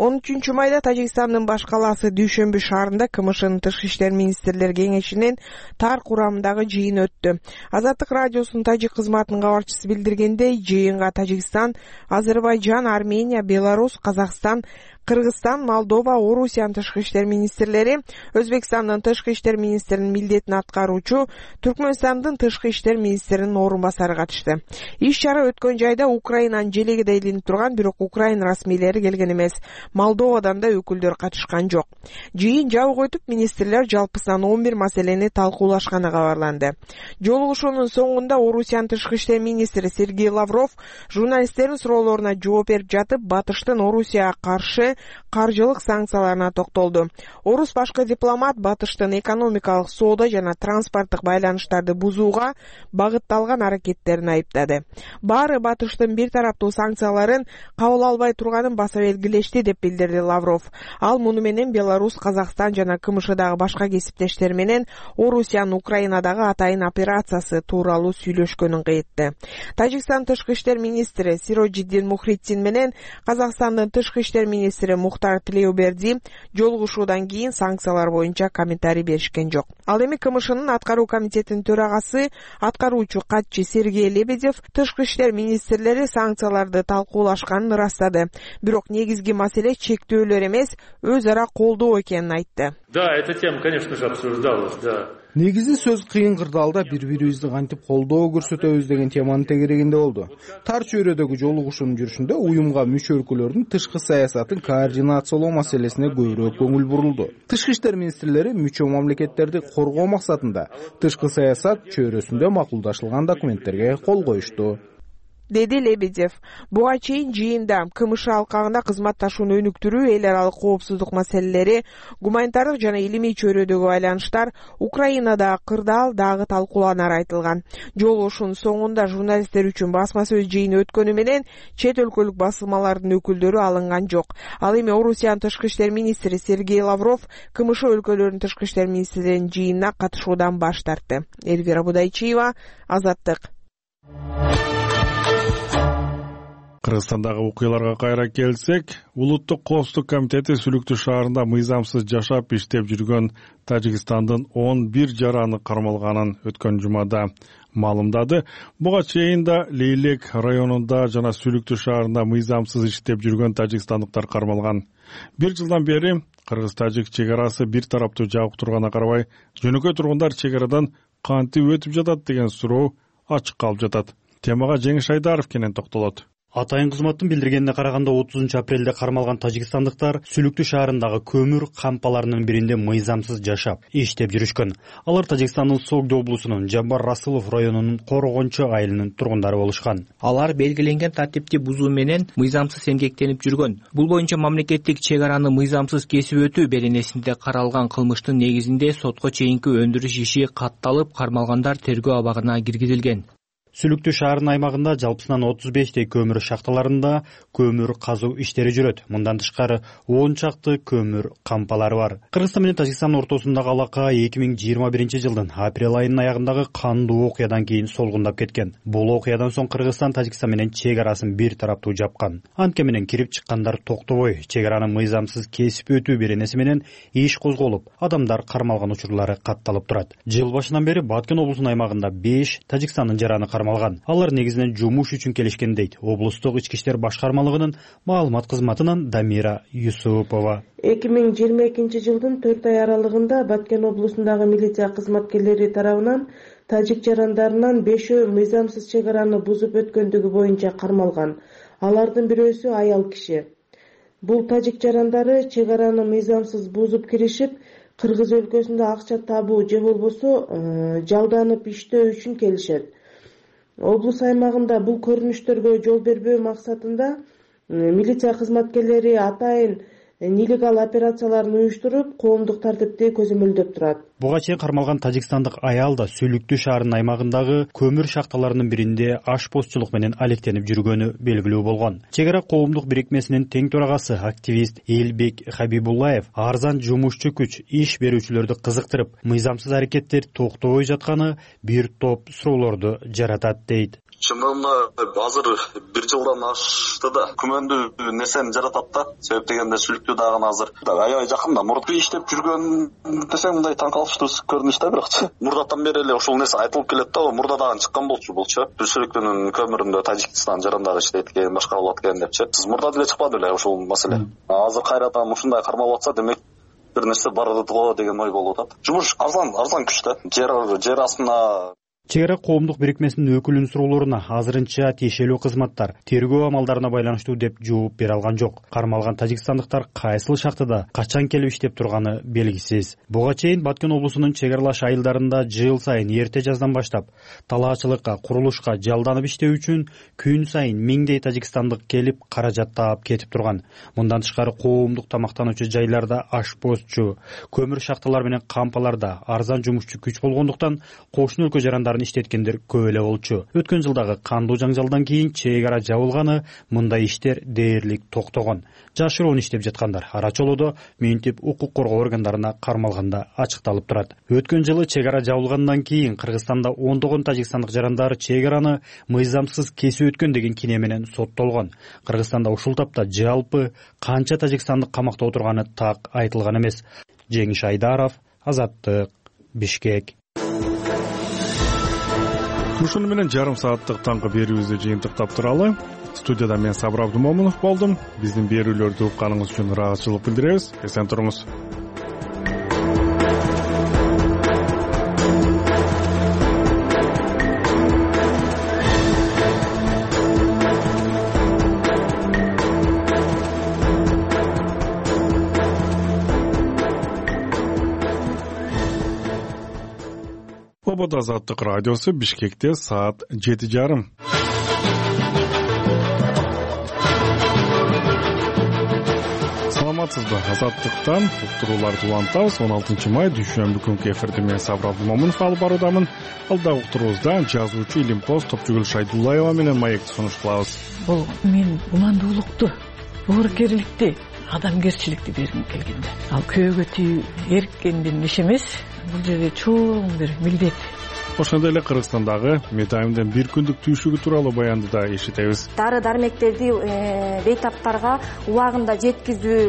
K: он үчүнчү майда Тажикстандын баш кааласы Дүйшөмбү шаарында КМШнын тышкы иштер министрлер кеңешинин тар курамындагы жыйын өттү. Азаттык радиосунун тажик кызматынын кабарчысы билдиргендей, жыйынга Тажикстан, Азербайжан, Армения, Беларусь, Казакстан, Кыргызстан, Молдова, Орусиянын тышкы иштер министрлери, Өзбекстандын тышкы иштер министринин милдетин аткаруучу, Түркмөнстандын тышкы иштер министринин орун басары катышты. Иш чара өткөн жайда Украинанын желегиде илинип турган, бирок Украина расмийлери келген эмес. Молдовадан да өкүлдөр катышкан жок. Жыйын жабык өтүп, министрлер жалпысынан он бир маселени талкуулашканы кабарланды. Жолугушуунун соңунда Орусиянын тышкы иштер министри Сергей Лавров журналисттердин суроолоруна жооп берип жатып, Батыштын Орусияга каршы каржылык санкцияларына токтолду. Орус башкы дипломат Батыштын экономикалык, соода жана транспорттук байланыштарды бузууга багытталган аракеттерин айыптады. Баары Батыштын бир тараптуу санкцияларын кабыл албай турганын баса белгилешти деп билдирди Лавров. Ал муну менен Беларусь, Казакстан жана КМШдагы башка кесиптештер менен Орусиянын Украинадагы атайын операциясы тууралуу сүйлөшкөнүн кайтты. Тажикстан тышкы иштер министри Сироджиддин Мухриддин менен Казакстандын тышкы иштер министри Мухтар Тилеуберди жолугушуудан кийин санкциялар боюнча комментарий беришкен жок. Ал эми КМШнын аткаруу комитетинин төрагасы, аткаруучу катчы Сергей Лебедев тышкы иштер министрлери санкцияларды талкуулашканын ырастады. Бирок негизги маселе чектөөлөр эмес, өз ара колдоо экенин айтты.
L: Да, эта тема, конечно же, обсуждалась, да.
E: Негизи сөз кыйын кырдаалда бири-бирибизди кантип колдоо көрсөтөбүз деген теманын тегерегинде болду. Тар чөйрөдөгү жолугушуунун жүрүшүндө уюмга мүчө өлкөлөрдүн тышкы саясатын координациялоо маселесине көбүрөөк көңүл бурулду. Тышкы иштер министрлери мүчө мамлекеттерди коргоо максатында тышкы саясат чөйрөсүндө макулдашылган документтерге кол коюшту, деди Лебедев. Буга чейин жыйында КМШ алкагында кызматташууну өнүктүрүү, эл аралык коопсуздук маселелери, гуманитардык жана илимий чөйрөдөгү байланыштар, Украинада кырдаал дагы талкууланары айтылган. Жолугушуунун соңунда журналисттер үчүн басма сөз жыйыны өткөнү менен чет өлкөлүк басылмалардын өкүлдөрү алынган жок. Ал эми Орусиянын тышкы иштер министри Сергей Лавров КМШ өлкөлөрүнүн тышкы иштер министрлеринин жыйынына катышуудан баш тартты. Элвира Будайчиева, Азаттык.
A: Кыргызстандагы окуяларга кайра келсек, Улуттук коопсуздук комитети Сүлүктүү шаарында мыйзамсыз жашап иштеп жүргөн Тажикстандын он бир жараны кармалганын өткөн жумада маалымдады. Буга чейин да Лейлек районунда жана Сүлүктүү шаарында мыйзамсыз иштеп жүргөн тажикстандыктар кармалган. Бир жылдан бери кыргыз-тажик чек арасы бир тараптуу жабык турганына карабай, жөнөкөй тургундар чек арадан кантип өтүп жатат деген суроо ачык калып жатат. Темага Жеңиш Айдаров кенен токтолот.
M: Атайын кызматтын билдиргенине караганда отузунчу апрелде кармалган тажикстандыктар Сүлүктүү шаарындагы көмүр кампаларынын биринде мыйзамсыз жашап иштеп жүрүшкөн. Алар Тажикстандын Согду облусунун Жаббар Расылов районунун Корогончу айылынын тургундары болушкан.
N: Алар белгиленген тартипти бузуу менен мыйзамсыз эмгектенип жүргөн. Бул боюнча мамлекеттик чек араны мыйзамсыз кесип өтүү беренесинде каралган кылмыштын негизинде сотко чейинки өндүрүш иши катталып, кармалгандар тергөө абагына киргизилген.
M: Сүлүктүү шаарынын аймагында жалпысынан отуз бештей көмүр шахталарында көмүр казуу иштери жүрөт. Мындан тышкары он чакты көмүр кампалары бар. Кыргызстан менен Тажикстандын ортосундагы алака эки миң жыйырма биринчи жылдын апрель айынын аягындагы кандуу окуядан кийин солгундап кеткен. Бул окуядан соң Кыргызстан Тажикстан менен чек арасын бир тараптуу жапкан. Анткени менен кирип чыккандар токтобой чек араны мыйзамсыз кесип өтүү беренеси менен иш козголуп, адамдар кармалган учурлары катталып турат. Жыл башынан бери Баткен облусунун аймагында беш Тажикстандын жараны кармалган. Алар негизинен жумуш үчүн келишкен дейт облустук ички иштер башкармалыгынын маалымат кызматынан Дамира Юсупова.
O: эки миң жыйырма экинчи жылдын төрт ай аралыгында Баткен облусундагы милиция кызматкерлери тарабынан тажик жарандарынан бешөө мыйзамсыз чек араны бузуп өткөндүгү боюнча кармалган. Алардын бирөөсү аял киши. Бул тажик жарандары чек араны мыйзамсыз бузуп киришип, Кыргыз өлкөсүндө акча табуу же болбосо жалданып иштөө үчүн келишет. Облус аймагында бул көрүнүштөргө жол бербөө максатында милиция кызматкерлери атайын нелегал операцияларын уюштуруп, коомдук тартипти көзөмөлдөп турат.
M: Буга чейин кармалган тажикстандык аял да Сүлүктүү шаарынын аймагындагы көмүр шахталарынын биринде ашпозчулук менен алектенип жүргөнү белгилүү болгон. Чек ара коомдук бирикмесинин тең төрагасы активист Элбек Хабибуллаев арзан жумушчу күч иш берүүчүлөрдү кызыктырып, мыйзамсыз аракеттер токтобой жатканы бир топ суроолорду жаратат дейт.
C: чындыгында азыр бир жылдан ашты да күмөндүү нерсени жаратат да. Себеп дегенде сүлүктүү дагы азыр аябай жакын да. Мурда иштеп жүргөн десем мындай таң калыштуу көрүнүш да, бирок мурдатан бери эле ушул нерсе айтылып келет да. Мурда дагы чыккан болчу булчу. Сүлүктүнүн көмүрүндө Тажикстан жарандары иштейт экен, башка болот экен депчи. Сиз мурда деле чыкпады беле ушул маселе. Азыр кайрадан ушундай кармалып атса, демек бир нерсе бар го деген ой болуп атат. Жумуш арзан, арзан күч да. Жер жер астына
M: чек ара коомдук бирикмесинин өкүлүнүн суроолоруна азырынча тиешелүү кызматтар тергөө амалдарына байланыштуу деп жооп бере алган жок. Кармалган тажикстандыктар кайсыл шахтада качан келип иштеп турганы белгисиз. Буга чейин Баткен облусунун чек аралаш айылдарында жыл сайын эрте жаздан баштап талаачылыкка, курулушка жалданып иштөө үчүн күн сайын миңдей тажикстандык келип каражат таап кетип турган. Мындан тышкары коомдук тамактануучу жайларда ашпозчу, көмүр шахталар менен кампаларда арзан жумушчу күч болгондуктан кошуна өлкө жарандарын иштеткендер көп эле болчу. Өткөн жылдагы кандуу жаңжалдан кийин чек ара жабылганы, мындай иштер дээрлик токтогон. Жашыруун иштеп жаткандар ара чолодо мынтип укук коргоо органдарына кармалганда ачыкталып турат. Өткөн жылы чек ара жабылгандан кийин Кыргызстанда ондогон тажикстандык жарандар чек араны мыйзамсыз кесип өткөн деген кине менен соттолгон. Кыргызстанда ушул тапта жалпы канча тажикстандык камакта отурганы так айтылган эмес. Жеңиш Айдаров, Азаттык, Бишкек.
A: Ушуну менен жарым сааттык таңкы берүүбүздү жыйынтыктап туралы. Студияда мен Сабыр Абдумомунов болдум. Биздин берүүлөрдү укканыңыз үчүн ыраазычылык билдиребиз. Эсен туруңуз. Обод Азаттык радиосу Бишкекте саат жети жарым. Саламатсызбы? Азаттыктан уктурууларды улантабыз. он алтынчы май дүйшөмбү күнкү эфирди мен Сабыр Абдумомунов алып баруудамын. Алдагы уктуруубузда жазуучу Илимпоз Топчугүл Шайдуллаева менен маекти сунуш кылабыз.
P: Бул мен уландуулукту, боорукерликти, адамгерчиликти бергим келгенде. Ал көөгө тийүү эрккендин иши эмес. Бул жерде чоң бир милдет.
A: Ошондой эле Кыргызстандагы Метайымдын бир күндүк түйшүгү тууралуу баянды да эшитебиз.
Q: Дары дармектерди бейтаптарга убагында жеткизүү,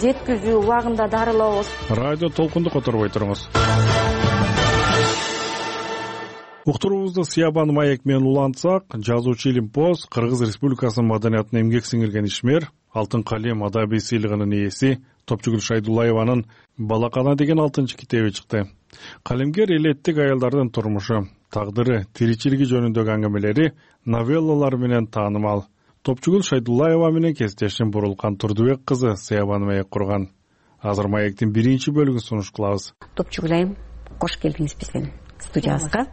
Q: жеткизүү убагында дарылоо.
A: Радио толкунду которбой туруңуз. Уктуруубузду Сиябан маек менен улантсак, жазуучу Илимпоз Кыргыз Республикасынын маданиятына эмгек сиңирген ишмер, Алтын калем адабий сыйлыгынын ээси Топчугүл Шайдуллаеванын Балакана деген алтынчы китеби чыкты. Калемгер элеттик аялдардын турмушу, тагдыры, тиричилиги жөнүндөгү аңгемелери, новеллалары менен таанымал. Топчугүл Шайдуллаева менен кесиптешим Бурулкан Турдубек кызы Сиябан маек курган. Азыр маектин биринчи бөлүгүн сунуш кылабыз.
R: Топчугул айым, кош келдиңиз биздин студиябызга.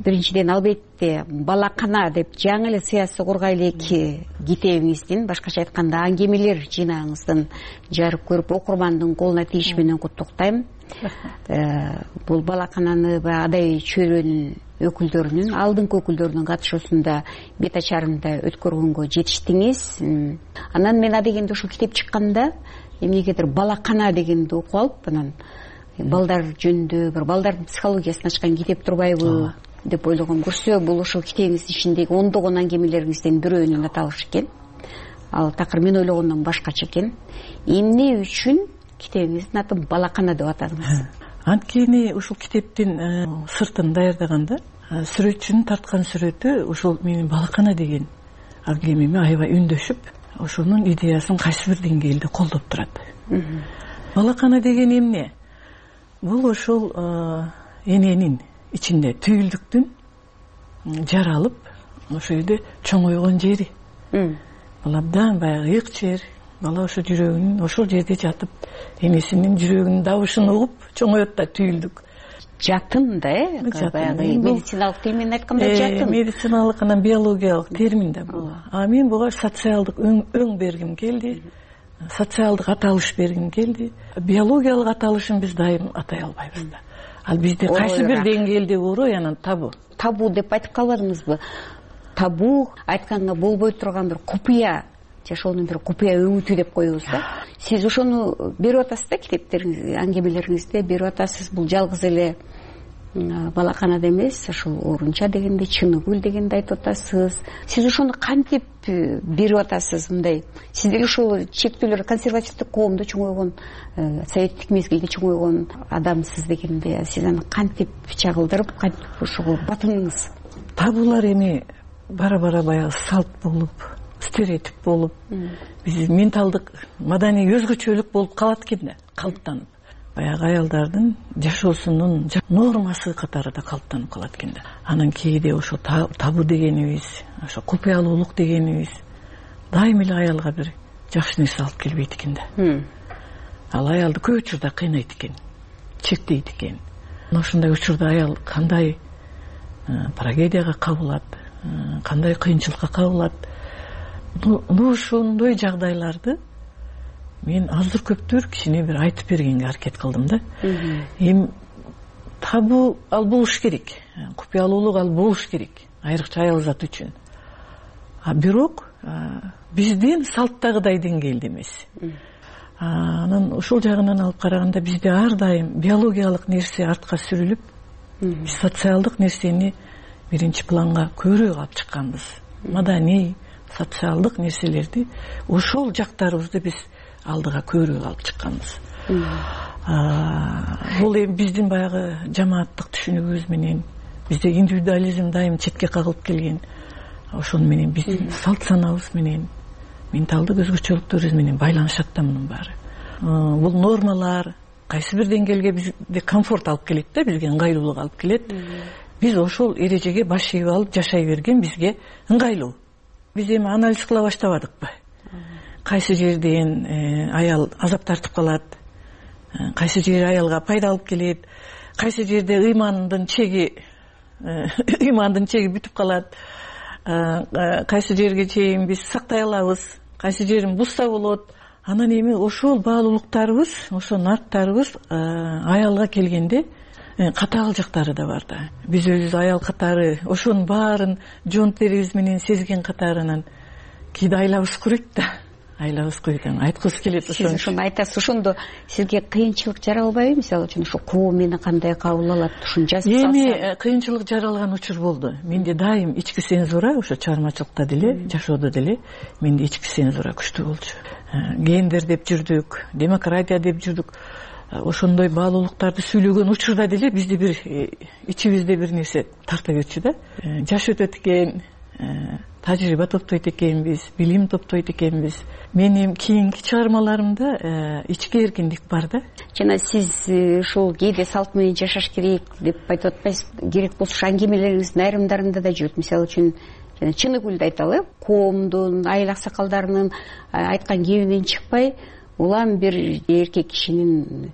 R: Биринчиден албетте Балакана деп жаңы эле сыясый кургай элеки китебиңиздин, башкача айтканда аңгемелер жыйнагыңыздын жарып көрүп окурмандын колуна тийиши менен куттуктайм. Бул Балакананы адай чөйрөнүн өкүлдөрүнүн, алдыңкы өкүлдөрүнүн катышуусунда бет ачарында өткөргөнгө жетиштиңиз. Анан мен адегенде ушул китеп чыкканда эмнегедир Балакана дегенди окуп алып, анан балдар жөнүндө бир балдардын психологиясын ачкан китеп турбайбы деп ойлогом. Көрсө, бул ушул китебиңиздин ичиндеги ондогон аңгемелериңизден бирөөнүн аталышы экен. Ал такыр мен ойлогондон башкача экен. Эмне үчүн китебиңиздин атын Балакана деп атадыңыз?
P: Анткени ушул китептин сыртын даярдаганда сүрөтчүнүн тарткан сүрөтү ушул менин Балакана деген аңгемеме аябай үндөшүп, ошонун идеясын кайсы бир деңгээлде колдоп турат. Балакана деген эмне? Бул ошол эненин ичинде түйүлдүктүн жаралып, ошо жерде чоңойгон жери. Бул абдан баягы ыйык жер. Бала ошо жүрөгүнүн ошол жерде жатып, энесинин жүрөгүнүн дабышын угуп чоңоет да түйүлдүк.
R: Жатын да, э? Баягы медициналык тил менен айтканда жатын.
P: Медициналык анан биологиялык термин да бул. А мен буга социалдык өң бергим келди. Социалдык аталыш бергим келди. Биологиялык аталышын биз дайым атай албайбыз да. Ал бизде кайсы бир деңгээлде орой анан табу.
R: Табу деп айтып калбадыңызбы? Табу айтканга болбой турган бир купуя, же ошонун бир купуя өңүтү деп коебуз да. Сиз ошону берип атасыз да, китептериңизде, аңгемелериңизде берип атасыз. Бул жалгыз эле балаканада эмес, ушул Орунча дегенде, Чыныгүл дегенди айтып атасыз. Сиз ошону кантип берип атасыз? Мындай сиз деле ушул чектөөлөр консервативдик коомдо чоңойгон, советтик мезгилде чоңойгон адамсыз дегенде, сиз аны кантип чагылдырып, кантип ушул батыныңыз?
P: Табуулар эми бара-бара баягы салт болуп, стереотип болуп, биз менталдык, маданий өзгөчөлүк болуп калат экен да, калыптанып. Баягы аялдардын жашоосунун нормасы катары да калыптанып калат экен да. Анан кээде ошо табуу дегенибиз, ошо купуялуулук дегенибиз дайым эле аялга бир жакшы нерсе алып келбейт экен да. Ал аялды көп учурда кыйнайт экен, чектейт экен. Ошондой учурда аял кандай трагедияга кабылат, кандай кыйынчылыкка кабылат. Ошондой жагдайларды мен аздыр көптүр кичине бир айтып бергенге аракет кылдым да. Эми табуу ал болуш керек, купуялуулук ал болуш керек, айрыкча аял заты үчүн. А бирок биздин салттагыдай деңгээлде эмес. Анан ушул жагынан алып караганда бизде ар дайым биологиялык нерсе артка сүрүлүп, биз социалдык нерсени биринчи планга көбүрөөк алып чыкканбыз. Маданий, социалдык нерселерди, ошол жактарыбызды биз алдыга көбүрөөк алып чыкканбыз. Бул эми биздин баягы жамааттык түшүнүгүбүз менен, бизде индивидуализм дайым четке кагылып келген. Ошону менен биздин салт санабыз менен, менталдык өзгөчөлүктөрүбүз менен байланышат да мунун баары. Бул нормалар кайсы бир деңгээлге бизде комфорт алып келет да, бизге ыңгайлуулук алып келет. Биз ошол эрежеге баш ийип алып жашай берген бизге ыңгайлуу. Биз эми анализ кыла баштабадыкпы? Кайсы жерден аял азап тартып калат, кайсы жер аялга пайда алып келет, кайсы жерде ыймандын чеги ыймандын чеги бүтүп калат, кайсы жерге чейин биз сактай алабыз, кайсы жерин бузса болот. Анан эми ошол баалуулуктарыбыз, ошол нарттарыбыз аялга келгенде катаал жактары да бар да. Биз өзүбүз аял катары ошонун баарын жон терибиз менен сезген катарынан кээде айлабыз куройт да. Айлабыз куройт, айткыбыз келет ошону.
R: Сиз ошону айтасыз, ошондо сизге кыйынчылык жаралбайбы? Мисалы үчүн ошо коом мени кандай кабыл алат, ушуну жазып салса?
P: Эми кыйынчылык жаралган учур болду. Менде дайым ички цензура, ошо чыгармачылыкта деле, жашоодо деле менде ички цензура күчтүү болчу. Гендер деп жүрдүк, демократия деп жүрдүк. Ошондой баалуулуктарды сүйлөгөн учурда деле бизде бир ичибизде бир нерсе тарта берчү да. Жаш өтөт экен, тажрыйба топтойт экенбиз, билим топтойт экенбиз. Менин кийинки чыгармаларымда ички эркиндик бар да.
R: Жана сиз ушул кээде салт менен жашаш керек деп айтып атпайсыз? Керек болсо аңгемелериңиздин айрымдарында да жүрөт. Мисалы үчүн жана Чыныгүлдү айталы, коомдун, айыл аксакалдарынын айткан кебинен чыкпай, улам бир эркек кишинин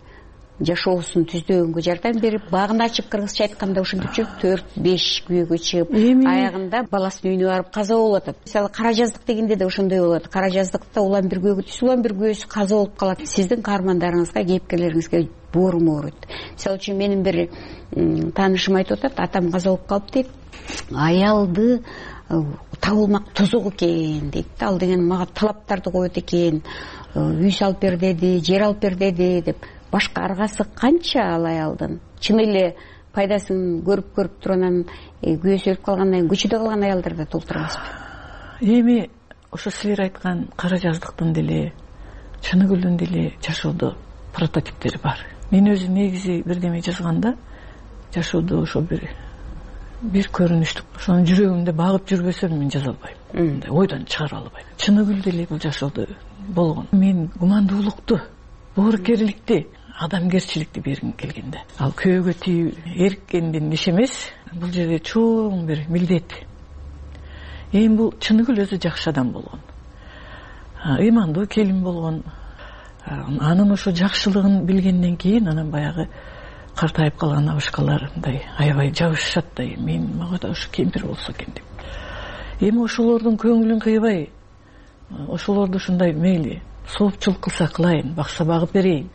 R: жашоосун түздөгөнгө жардам берип, багын ачып, кыргызча айтканда ушинтип жүрүп, төрт беш күйөөгө чыгып, аягында баласынын үйүнө барып каза болуп атат. Мисалы кара жаздык дегенде да ошондой болот. Кара жаздыкта улам бир күйөөгө түшүп, улам бир күйөөсү каза болуп калат. Сиздин каармандарыңызга, кейипкерлериңизге бооруму ооруйт. Мисалы үчүн менин бир таанышым айтып атат, атам каза болуп калып дейт. Аялды табылмак тозок экен дейт. Ал деген мага талаптарды коет экен, үй салып бер деди, жер алып бер деди деп. Башка аргасы канча ал аялдын? Чын эле пайдасын көрүп көрүп туруп анан күйөөсү өлүп калгандан кийин көчөдө калган аялдар да толтура эмеспи?
P: Эми ошо силер айткан кара жаздыктын деле, Чыныгүлдүн деле жашоодо прототиптери бар. Мен өзү негизи бирдеме жазганда жашоодо ошо бир бир көрүнүштүк, ошону жүрөгүмдө багып жүрбөсөм мен жаза албайм. Мындай ойдон чыгара албайм. Чыныгүл деле бул жашоодо болгон. Мен гумандуулукту, боорукерликти, адамгерчиликти бергим келгенде. Ал күйөөгө тийүү эркендин иш эмес, бул жерде чоң бир милдет. Эми бул Чыныгүл өзү жакшы адам болгон, ыймандуу келин болгон. Анын ошо жакшылыгын билгенден кийин анан баягы картайып калган абышкалар мындай аябай жабышышат да, мен мага да ошо кемпир болсо экен деп. Эми ошолордун көңүлүн кыйбай, ошолорду ушундай мейли соопчулук кылса кылайын, бакса багып берейин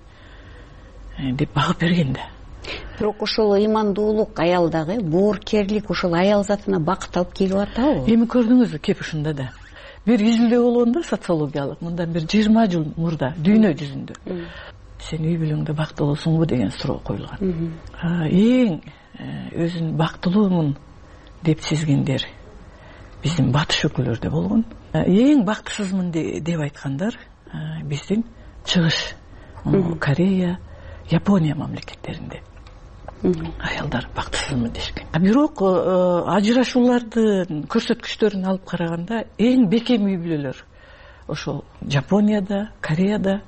P: деп багып берген да.
R: Бирок ошол ыймандуулук аялдагы боорукерлик ошол аял затына бакыт алып келип атабы?
P: Эми көрдүңүзбү, кеп ушунда да бир изилдөө болгон да, социологиялык, мындан бир жыйырма жыл мурда дүйнө жүзүндө. сен үй бүлөңдө бактылуусуңбу деген суроо коюлган. Эң өзүн бактылуумун деп сезгендер биздин батыш өлкөлөрдө болгон. Эң бактысызмын деп айткандар биздин чыгыш Корея, Япония мамлекеттеринде аялдар бактысызмын дешкен. Бирок ажырашуулардын көрсөткүчтөрүн алып караганда эң бекем үй бүлөлөр ошол Жапонияда, Кореяда,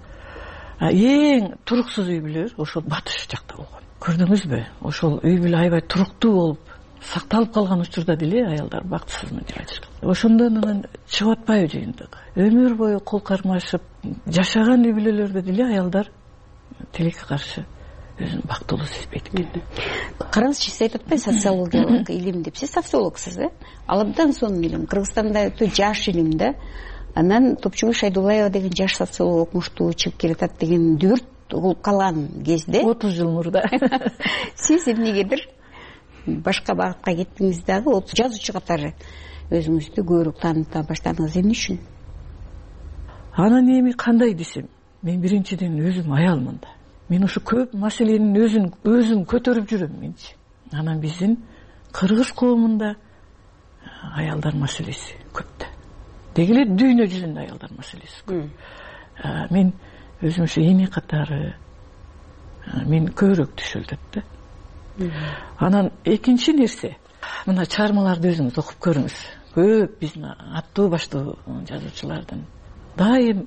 P: эң туруксуз үй бүлөлөр ошол батыш жакта болгон. Көрдүңүзбү? Ошол үй бүлө аябай туруктуу болуп сакталып калган учурда деле аялдар бактысызмын деп айтышкан. Ошондон анан чыгып атпайбы жыйынтык? Өмүр бою кол кармашып жашаган үй бүлөлөрдө деле аялдар тилекке каршы өзүн бактылуу сезбейт экен.
R: Караңызчы, сиз айтып атпайсыз социологиялык илим деп. Сиз социологсуз, э? Ал абдан сонун илим. Кыргызстанда өтө жаш илим да. Анан Топчугул Шайдуллаева деген жаш социолог окумуштуу чыгып келатат деген дүрт угулуп калган кезде
P: отуз жыл мурда
R: сиз эмнегедир башка багытка кеттиңиз дагы, жазуучу катары өзүңүздү көбүрөөк тааныта баштадыңыз. Эмне үчүн?
P: Анан эми кандай десем, мен биринчиден өзүм аялмын да. Мен ушу көп маселенин өзүн өзүн көтөрүп жүрөм менчи. Анан биздин кыргыз коомунда аялдар маселеси көп да. Деги эле дүйнө жүзүндө аялдар маселеси көп. Мен өзүм ушу эне катары мен көбүрөөк түшүлдүт да. Анан экинчи нерсе, мына чыгармаларды өзүңүз окуп көрүңүз. Көп биздин аттуу баштуу жазуучулардын дайым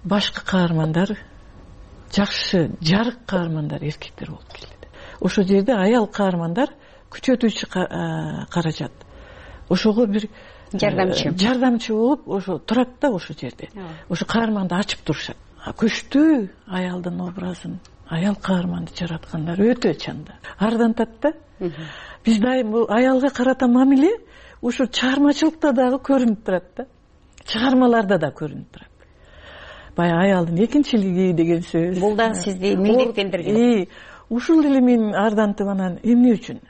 P: башкы каармандар, жакшы жарык каармандар эркектер болуп келет. Ошол жерде аял каармандар күчөтүүчү каражат. Ошого бир жардамчы жардамчы болуп ошо турат да ошол жерде. Ошо каарманды ачып турушат. Күчтүү аялдын образын, аял каарманды жараткандар өтө чанда. Ардантат да. Биз дайым бул аялга карата мамиле ушу чыгармачылыкта дагы көрүнүп турат да. Чыгармаларда да көрүнүп турат. Баягы аялдын экинчилиги деген сөз.
R: Бул да сизди милдеттендирген.
P: Ушул эле мен ардантып анан эмне үчүн?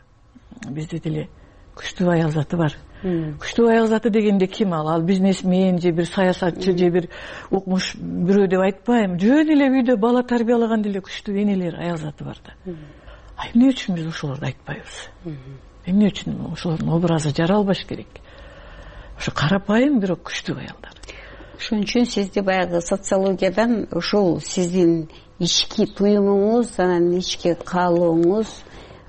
P: Бизде деле күчтүү аял заты бар. Күчтүү аял заты дегенде ким ал? Ал бизнесмен же бир саясатчы же бир укмуш бирөө деп айтпайм. Жөн эле үйдө бала тарбиялаган деле күчтүү энелер, аял заты бар да. А эмне үчүн биз ошолорду айтпайбыз? Эмне үчүн ошолордун образы жаралбаш керек? Ошо карапайым бирок күчтүү аялдар.
R: Ошон үчүн сизди баягы социологиядан ошол сиздин ички туюмуңуз, анан ички каалооңуз,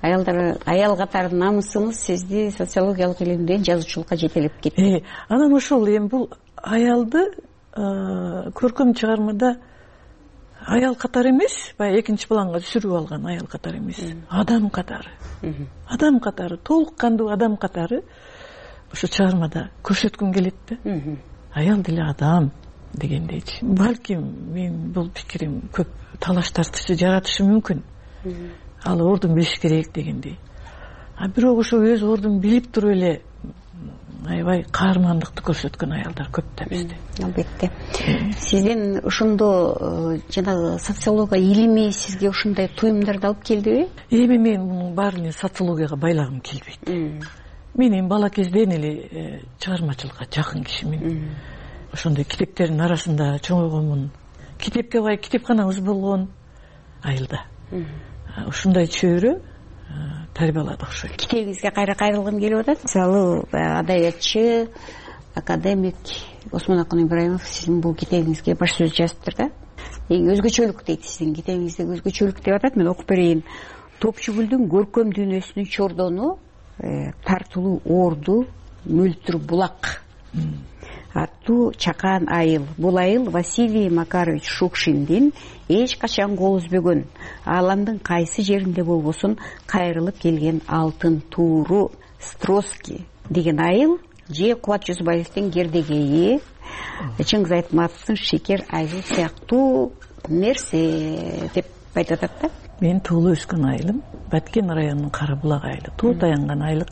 R: аялдар аял катары намысыңыз сизди социологиялык илимден жазуучулукка жетелеп кетти.
P: Анан ошол эми бул аялды көркөм чыгармада аял катары эмес, баягы экинчи планга түсүрүп алган аял катары эмес, адам катары. Адам катары, толук кандуу адам катары ошо чыгармада көрсөткүм келет да. Аял деле адам дегендейчи. Балким мен бул пикирим көп талаш тартышы жаратышы мүмкүн. Ал ордун билиш керек дегендей. А бирок ошо өз ордун билип туруп эле аябай каармандыкты көрсөткөн аялдар көп да бизде.
R: Албетте. Сиздин ошондо жанагы социология илими сизге ушундай туюмдарды алып келдиби?
P: Эми мен мунун баарын социологияга байлагым келбейт. Мен эми бала кезден эле чыгармачылыкка жакын кишимин. Ошондой китептердин арасында чоңойгонмун. Китепке бай китепканабыз болгон айылда. Ушундай чөйрө тарбияладык ошо.
R: Китебиңизге кайра кайрылгым келип атат. Мисалы, адабиятчы, академик Осмонакун Ибраимов сиздин бул китебиңизге баш сөз жазыптыр да. Эң өзгөчөлүк дейт сиздин китебиңизде, өзгөчөлүк деп атат. Мен окуп берейин. Топчугулдун көркөм дүйнөсүнүн чордону тартылуу орду мөлтүр булак аттуу чакан айыл. Бул айыл Василий Макарович Шукшиндин эч качан кол үзбөгөн, ааламдын кайсы жеринде болбосун кайрылып келген алтын тууру Строски деген айыл же Кубат Жүзбаевдин Гердегейи, Чыңгыз Айтматовдун Шекер айыл сыяктуу нерсе деп айтып атат да.
P: Мен туулуп өскөн айылым Баткен районунун Кара булак айылы. Туу таянган айылык.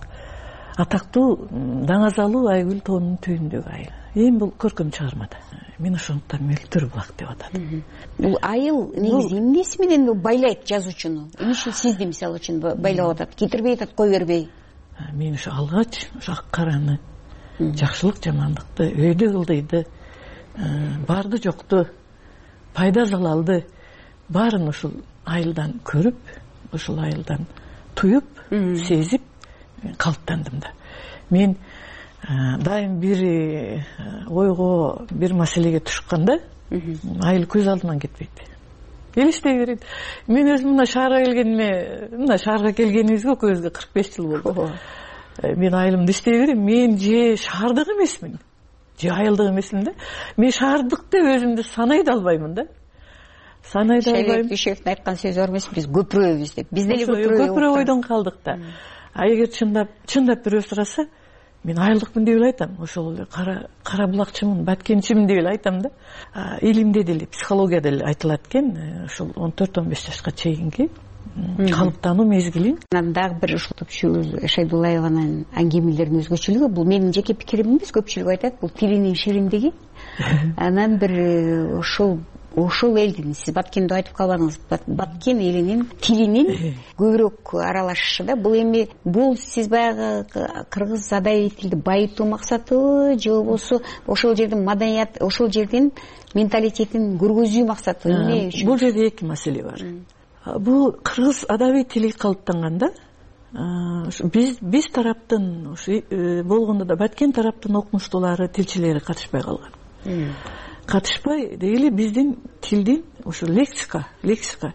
P: Атактуу Даңазалуу Айгүл тоонунун түбүндөгү айыл. Эми бул көркөм чыгармада. Мен ошондуктан мөлтүр булак деп атадым.
R: Бул айыл негизи эмнеси менен байлайт жазуучуну? Эмне үчүн сизди мисалы үчүн байлап атат? Кетирбей атат, кой бербей.
P: Мен ушу алгач ушу ак караны, жакшылык жамандыкты, өйдө ылдыйды, барды жокту, пайда залалды баарын ушул айылдан көрүп, ушул айылдан туюп, сезип калыптандым да. Мен дайым бир ойго, бир маселеге тушканда айыл көз алдыман кетпейт. Элестей берет. Мен өзүм мына шаарга келгениме, мына шаарга келгенибизге экөөбүзгө кырк беш жыл болду. Мен айылымды иштей берем. Мен же шаардык эмесмин, же айылдык эмесмин да. Мен шаардык деп өзүмдү санай да албаймын да. Санай да албайм.
R: Шайлек Дүйшевдин айткан сөзү бар эмеспи, биз көпүрөбүз деп. Биз деле
P: көпүрө ойдон калдык да. А эгер чындап, чындап бирөө сураса, мен айылдыкмын деп эле айтам. Ошол эле кара кара булакчымын, баткенчимин деп эле айтам да. Илимде деле, психологияда деле айтылат экен, ошол он төрт он беш жашка чейинки калыптануу мезгилин.
R: Анан дагы бир ушул Топчубул Шайдуллаеванын аңгемелеринин өзгөчөлүгү, бул менин жеке пикирим эмес, көпчүлүк айтат, бул тилинин шириндиги. Анан бир ушул ошол элдин, сиз Баткенди айтып калбадыңыз, Баткен элинин тилинин көбүрөөк аралашышы да. Бул эми бул сиз баягы кыргыз адабий тилди байытуу максатыбы, же болбосо ошол жердин маданият, ошол жердин менталитетин көргөзүү максатыбы? Эмне үчүн?
P: Бул жерде эки маселе бар. Бул кыргыз адабий тили калыптанганда биз биз тараптын ушу болгондо да Баткен тараптын окумуштуулары, тилчилери катышпай калган. Катышпай дегеле биздин тилдин ошо лексика, лексика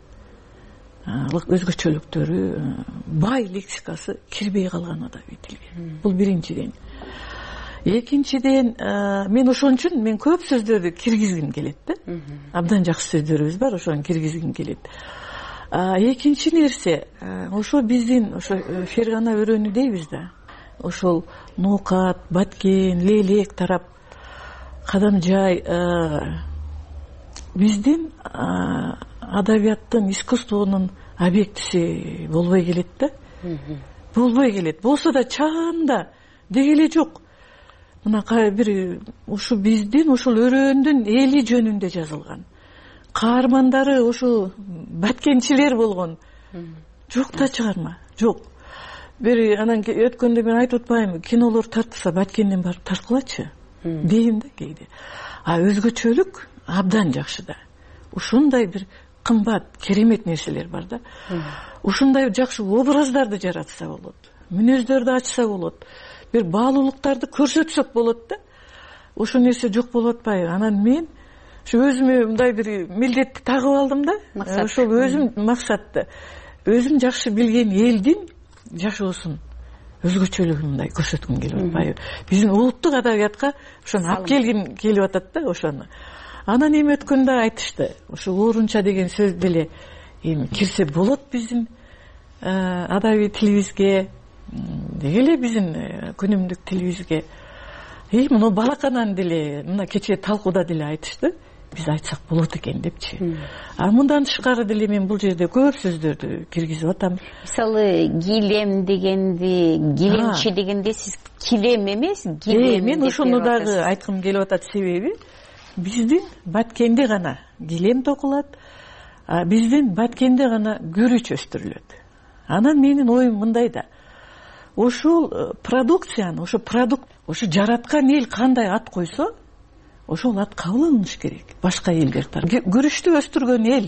P: өзгөчөлүктөрү, бай лексикасы кирбей калган адабий тилге. Бул биринчиден. Экинчиден, мен ошон үчүн мен көп сөздөрдү киргизгим келет да. Абдан жакшы сөздөрүбүз бар, ошону киргизгим келет. Экинчи нерсе, ошо биздин ошо Фергана өрөөнү дейбиз да. Ошол Ноокат, Баткен, Лелек тарап, Кадамжай биздин адабияттын, искусствонун объектиси болбой келет да. Болбой келет. Болсо да чаанда дегеле жок. Мына бир ушу биздин ошол өрөөндүн эли жөнүндө жазылган. Каармандары ошо баткенчилер болгон. Жок да чыгарма, жок. Бир анан өткөндө мен айтып атпаймынбы, кинолор тартса Баткенден барып тарткылачы дейм да кээде. А өзгөчөлүк абдан жакшы да. Ушундай бир кымбат, керемет нерселер бар да. Ушундай жакшы образдарды жаратса болот, мүнөздөрдү ачса болот, бир баалуулуктарды көрсөтсөк болот да. Ошол нерсе жок болуп атпайбы? Анан мен ушу өзүмө мындай бир милдетти тагып алдым да. Ошол өзүм максатты, өзүм жакшы билген элдин жашоосун, өзгөчөлүгүн мындай көрсөткүм келип атпайбы? Биздин улуттук адабиятка ошону алып келгим келип атат да, ошону. Анан эми өткөндө айтышты, ошо оорунча деген сөз деле эми кирсе болот биздин адабий тилибизге, деги эле биздин күнүмдүк тилибизге. И муну балаканан деле, мына кечээ талкууда деле айтышты, биз айтсак болот экен депчи. А мындан тышкары деле мен бул жерде көп сөздөрдү киргизип атам.
R: Мисалы, гилем дегенди, гилемчи дегенде сиз килем эмес, гилем.
P: Мен ошону дагы айткым келип атат, себеби биздин Баткенде гана гилем токулат, биздин Баткенде гана күрүч өстүрүлөт. Анан менин оюм мындай да. Ошол продукцияны, ошо продукт, ошо жараткан эл кандай ат койсо, ошол ат кабыл алыныш керек. Башка элдер тарапынан. Күрүчтү өстүргөн эл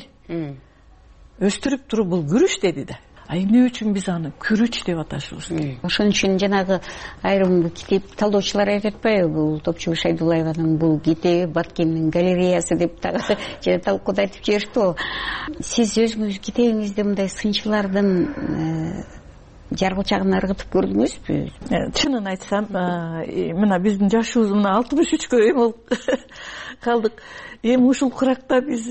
P: өстүрүп туруп бул күрүч деди да. А эмне үчүн биз аны күрүч деп аташыбыз керек?
R: Ошон үчүн жанагы айрым китеп талдоочулар айтып атпайбы, бул Топчубул Шайдуллаеванын бул китеби Баткендин галереясы деп дагы жана талкууда айтып жиберишти го. Сиз өзүңүз китебиңизде мындай сынчылардын жаргылчагын ыргытып көрдүңүзбү?
P: Чынын айтсам, мына биздин жашыбыз мына алтымыш үчкө эм болуп калдык. Эми ушул куракта биз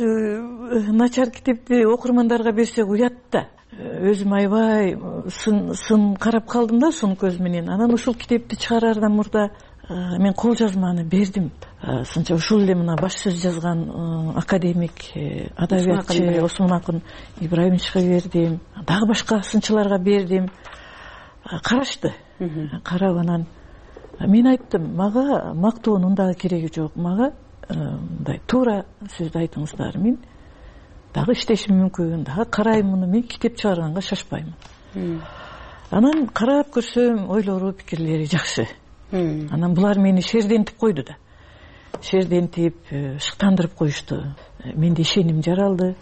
P: начар китепти окурмандарга берсек уят да. Өзүм аябай сын сын карап калдым да, сын көз менен. Анан ушул китепти чыгараардан мурда мен кол жазманы бердим. Сынча ушул эле мына баш сөз жазган академик, адабиятчы Осмон Акын Ибраимовичке бердим. Дагы башка сынчыларга бердим. Карашты. Карап анан мен айттым, мага мактоонун дагы кереги жок. Мага мындай туура сөздү айтыңыздар. Мен дагы иштешим мүмкүн, дагы карайм муну, мен китеп чыгарганга шашпайм. Анан карап көрсөм, ойлору, пикирлери жакшы. Анан булар мени шердентип койду да. Шердентип, шыктандырып коюшту. Менде ишеним жаралды.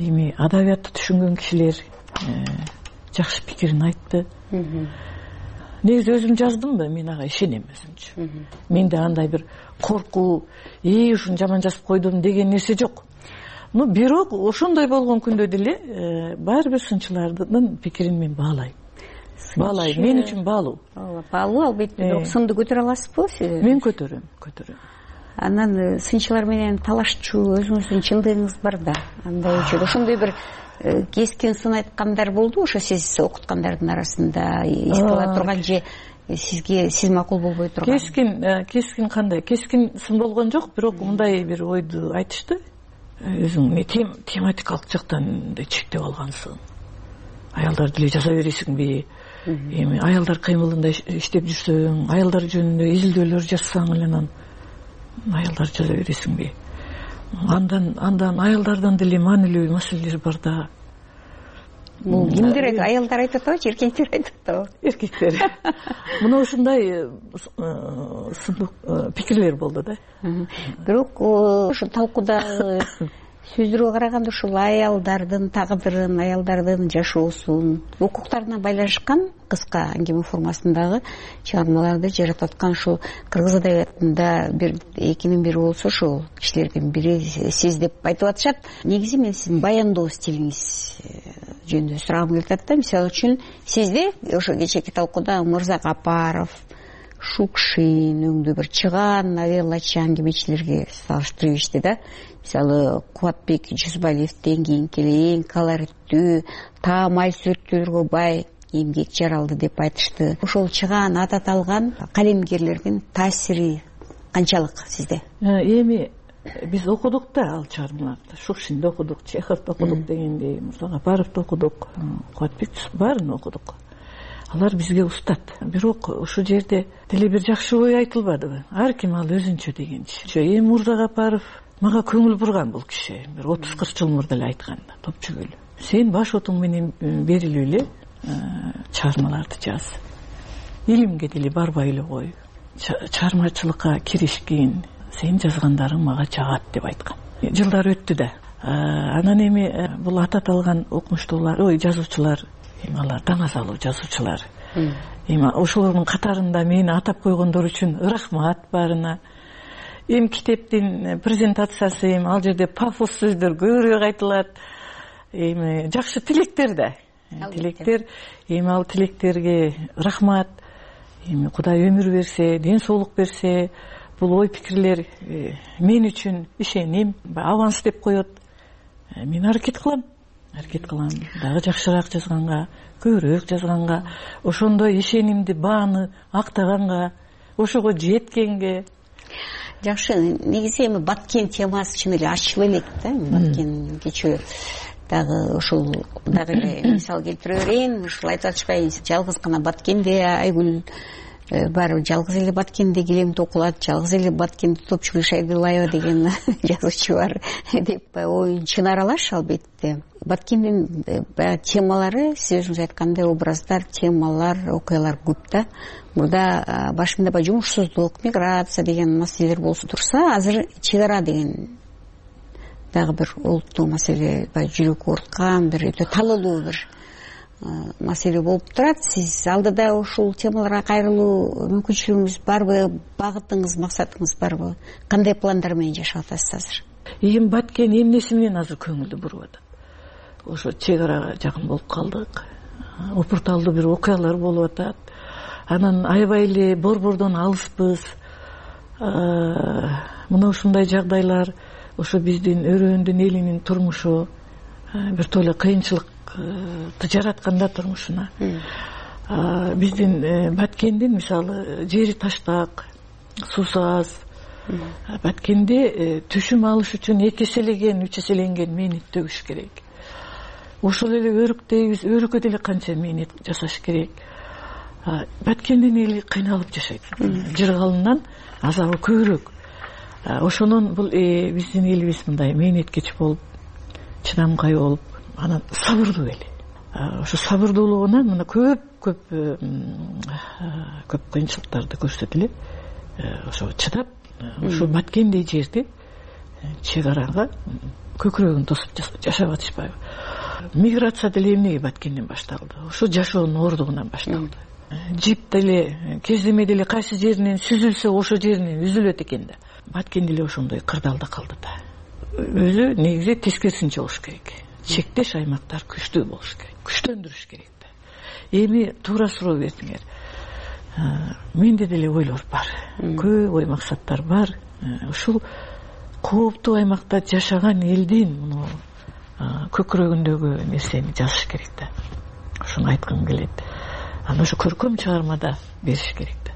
P: эми адабиятты түшүнгөн кишилер жакшы пикирин айтты. Негизи өзүм жаздым да, мен ага ишенем өзүмчү. Менде андай бир коркуу, ээ ушуну жаман жазып койдум деген нерсе жок. Ну бирок ошондой болгон күндө деле баары бир сынчылардын пикирин мен баалайм. Баалайм, мен үчүн баалуу.
R: Баалуу албетте, бирок сынды көтөрө аласызбы сиз?
P: Мен көтөрөм, көтөрөм.
R: Анан сынчылар менен талашчу өзүңүздүн чындыгыңыз бар да. Андай үчүн ошондой бир кескин сын айткандар болду ошо сиз окуткандардын арасында эсте ала турган же сизге сиз макул болбой турган?
P: Кескин, кескин кандай? Кескин сын болгон жок, бирок мындай бир ойду айтышты. Өзүң тематикалык жактан чектеп алгансың. Аялдар деле жаза бересиңби? Эми аялдар кыймылында иштеп жүрсөң, аялдар жөнүндө изилдөөлөр жазсаң эле анан аялдар жаза бересиңби? Андан андан аялдардан деле маанилүү маселелер бар да.
R: Бул кимдер? Аялдар айтат атабы, эркектер айтат атабы?
P: Эркектер. Мына ушундай пикирлер болду да.
R: Бирок ошо талкуудагы сөздөргө караганда ушул аялдардын тагдырын, аялдардын жашоосун, укуктарына байланышкан кыска аңгеме формасындагы чыгармаларды жаратып аткан ушул кыргыз адабиятында бир экинин бири болсо ошол кишилердин бири сиз деп айтып атышат. Негизи мен сиздин баяндоо стилиңиз жөнүндө сурагым келип атат да. Мисалы үчүн сизде ошо кечээки талкууда Мырза Капаров, Шукшин өңдүү бир чыгаан новеллачы аңгемечилерге салыштырып ишти да. Мисалы Кубатбек Жүзбалиевден кийинки эң колориттүү, таамай сүрөттөргө бай эмгек жаралды деп айтышты. Ошол чыгаан ат аталган калемгерлердин таасири канчалык сизде?
P: Эми биз окудук да ал чыгармаларды. Шукшинди окудук, Чеховду окудук дегендей, Мырза Капаровду окудук, Кубатбек баарын окудук. Алар бизге устат. Бирок ушул жерде деле бир жакшы ой айтылбадыбы? Ар ким ал өзүнчө дегенчи. Эми Мырза Капаров мага көңүл бурган бул киши. Бир отуз кырк жыл мурда эле айткан да, топчөгүлү. Сен баш отуң менен берилип эле чыгармаларды жаз. Илимге деле барбай эле кой. Чыгармачылыкка киришкин. Сен жазгандарың мага жагат деп айткан. Жылдар өттү да. Анан эми бул ат аталган окумуштуулар, ой жазуучулар, эми алар даңазалуу жазуучулар. Эми ошолордун катарында мени атап койгондор үчүн рахмат баарына. Эми китептин презентациясы, эми ал жерде пафос сөздөр көбүрөөк айтылат. Эми жакшы тилектер да. Тилектер, эми ал тилектерге рахмат. Эми Кудай өмүр берсе, ден соолук берсе, бул ой пикирлер мен үчүн ишеним, аванс деп коет. Мен аракет кылам. Аракет кылам. Дагы жакшыраак жазганга, көбүрөөк жазганга, ошондой ишенимди бааны актаганга, ошого жеткенге.
R: Жакшы, негизи эми Баткен темасы чын эле ачыла элек да. Баткен кечээ дагы ушул дагы эле мисал келтире берейин. Ушул айтып атышпайбы, жалгыз гана Баткенде Айгүл баары жалгыз эле Баткенде килем токулат, жалгыз эле Баткенде Топчугул Шайдылаева деген жазуучу бар деп оюн чын аралаш албетте. Баткендин баягы темалары, сиз өзүңүз айткандай, образдар, темалар, окуялар көп да. Мурда башында баягы жумушсуздук, миграция деген маселелер болсо турса, азыр чек ара деген дагы бир олуттуу маселе, баягы жүрөк ооруткан, бир өтө талоолуу бир маселе болуп турат. Сиз алдыда ушул темаларга кайрылуу мүмкүнчүлүгүңүз барбы, багытыңыз, максатыңыз барбы? Кандай пландар менен жашап атасыз азыр?
P: Эми Баткен эмнеси менен азыр көңүлдү буруп атат? Ошо чек арага жакын болуп калдык. Опурталдуу бир окуялар болуп атат. Анан аябай эле борбордон алыспыз. Мына ушундай жагдайлар ошо биздин өрөөндүн элинин турмушу бир толо кыйынчылыкты жаратканда турмушуна. Биздин Баткендин мисалы жери таштак, суусу аз. Баткенде түшүм алыш үчүн эки эселеген, үч эселенген мээнет төгүш керек. Ошол эле өрүктейбиз, өрүккө деле канча мээнет жасаш керек. Баткендин эли кыйналып жашайт. Жыргалынан азабы көбүрөөк. Ошонун бул биздин элибиз мындай мээнеткеч болуп, чыдамкай болуп, анан сабырдуу эл. Ошо сабырдуулугунан мына көп көп көп кыйынчылыктарды көрсөтүп эле ошо чыдап, ошо Баткендей жерде чек арага көкүрөгүн тосуп жашап атышпайбы? Миграция деле эмнеге Баткенден башталды? Ошо жашоонун оордугунан башталды. Жип деле кездеме деле кайсы жеринен сүзүлсө ошо жеринен үзүлөт экен да. Баткен деле ошондой кырдаалда калды да. Өзү негизи тескерисинче болуш керек. Чектеш аймактар күчтүү болуш керек, күчтөндүрүш керек да. Эми туура суроо бердиңер. Менде деле ойлор бар, көп ой максаттар бар. Ушул кооптуу аймакта жашаган элдин муну көкүрөгүндөгү нерсени жазыш керек да. Ошону айткым келет. Аны ошо көркөм чыгармада бериш керек да.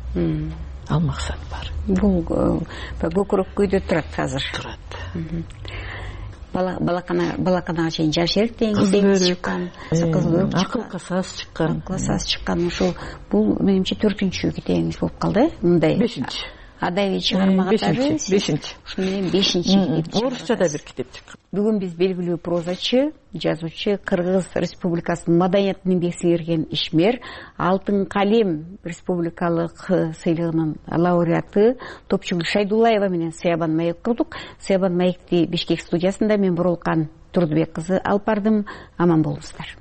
P: Ал максат бар.
R: Бул көкүрөк күйдө турат азыр.
P: Турат.
R: Балакана балаканага чейин жашер теңиз чыккан,
P: акылга саз чыккан,
R: акылга саз чыккан. Ушул бул менимче төртүнчү китебиңиз болуп калды, мындай.
P: Бешинчи.
R: Адайи чыгарма катары.
P: Бешинчи.
R: Ушуну менен бешинчи китеп.
P: Орусчада бир китеп чыккан.
R: Бүгүн биз белгилүү прозачы, жазуучу, Кыргыз Республикасынын маданиятын эмгек сиңирген ишмер, Алтын калем республикалык сыйлыгынын лауреаты Топчугүл Шайдуллаева менен Сыябан маек курдук. Сыябан маекти Бишкек студиясында мен Бурулкан Турдубек кызы алып бардым. Аман болуңуздар.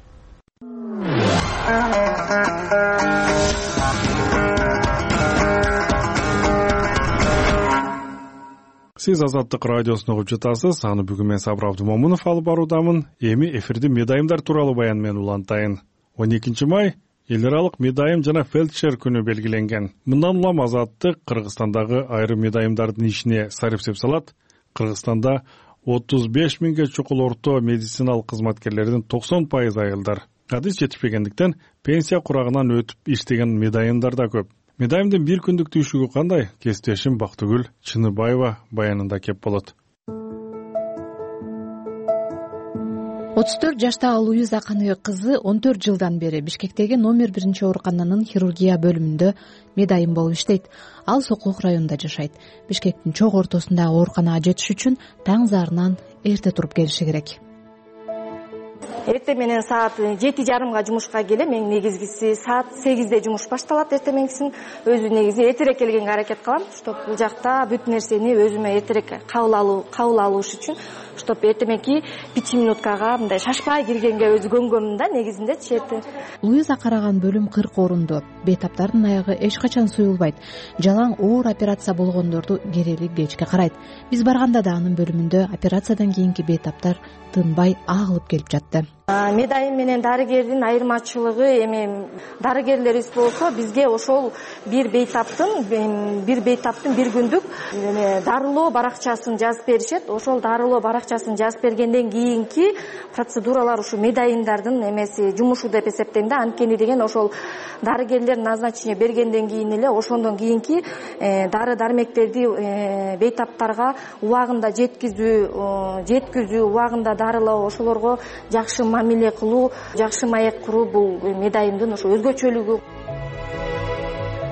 A: Сиз Азаттык радиосун угуп жатасыз. Аны бүгүн мен Сабыр Абдымомунов алып баруудамын. Эми эфирди медайымдар тууралуу баян менен улантайын. он экинчи май эл аралык медайым жана фельдшер күнү белгиленген. Мындан улам Азаттык Кыргызстандагы айрым медайымдардын ишине сарыпсеп салат. Кыргызстанда отуз беш миңге чукул орто медициналык кызматкерлердин токсон пайызы айылдар. Адис жетишпегендиктен пенсия курагынан өтүп иштеген медайымдар да көп. Медайымдын бир күндүк түйшүгү кандай? Кесиптешим Бактыгүл Чыныбаева баянында кеп болот.
H: отуз төрт жаштагы Луиза Каныбек кызы он төрт жылдан бери Бишкектеги номер биринчи оорукананын хирургия бөлүмүндө медайым болуп иштейт. Ал Сокулук районунда жашайт. Бишкектин чок ортосундагы ооруканага жетиш үчүн таң зарынан эрте туруп келиши керек.
Q: Эртең менен саат жети жарымга жумушка келем. Мен негизгиси саат сегизде жумуш башталат эртемеңкисин. Өзү негизи эртерээк келгенге аракет кылам, чтоб бул жакта бүт нерсени өзүмө эртерээк кабыл алуу, кабыл алыш үчүн, чтоб эртемеки беш минуткага мындай шашпай киргенге өзү көнгөнмүн да негизинде черти.
H: Луиза караган бөлүм кырк орундуу. Бейтаптардын аягы эч качан суюлбайт. Жалаң оор операция болгондорду керели кечке карайт. Биз барганда да анын бөлүмүндө операциядан кийинки бейтаптар тынбай агылып келип жатты.
Q: Медайым менен дарыгердин айырмачылыгы эми дарыгерлерибиз болсо бизге ошол бир бейтаптын бир бейтаптын бир күндүк дарылоо баракчасын жазып беришет. Ошол дарылоо баракчасын жазып бергенден кийинки процедуралар ушу медайымдардын эмеси жумушу деп эсептейм да. Анткени деген ошол дарыгерлер назначение бергенден кийин эле ошондон кийинки дары дармектерди бейтаптарга убагында жеткизүү, жеткизүү, убагында дарылоо, ошолорго жакшы мамиле кылуу, жакшы маек куруу бул медайымдын ошо өзгөчөлүгү.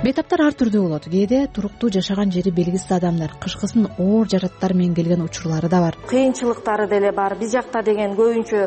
H: Бейтаптар ар түрдүү болот. Кээде туруктуу жашаган жери белгисиз адамдар, кышкысын оор жараттар менен келген учурлары да бар.
Q: Кыйынчылыктары деле бар. Биз жакта деген көбүнчө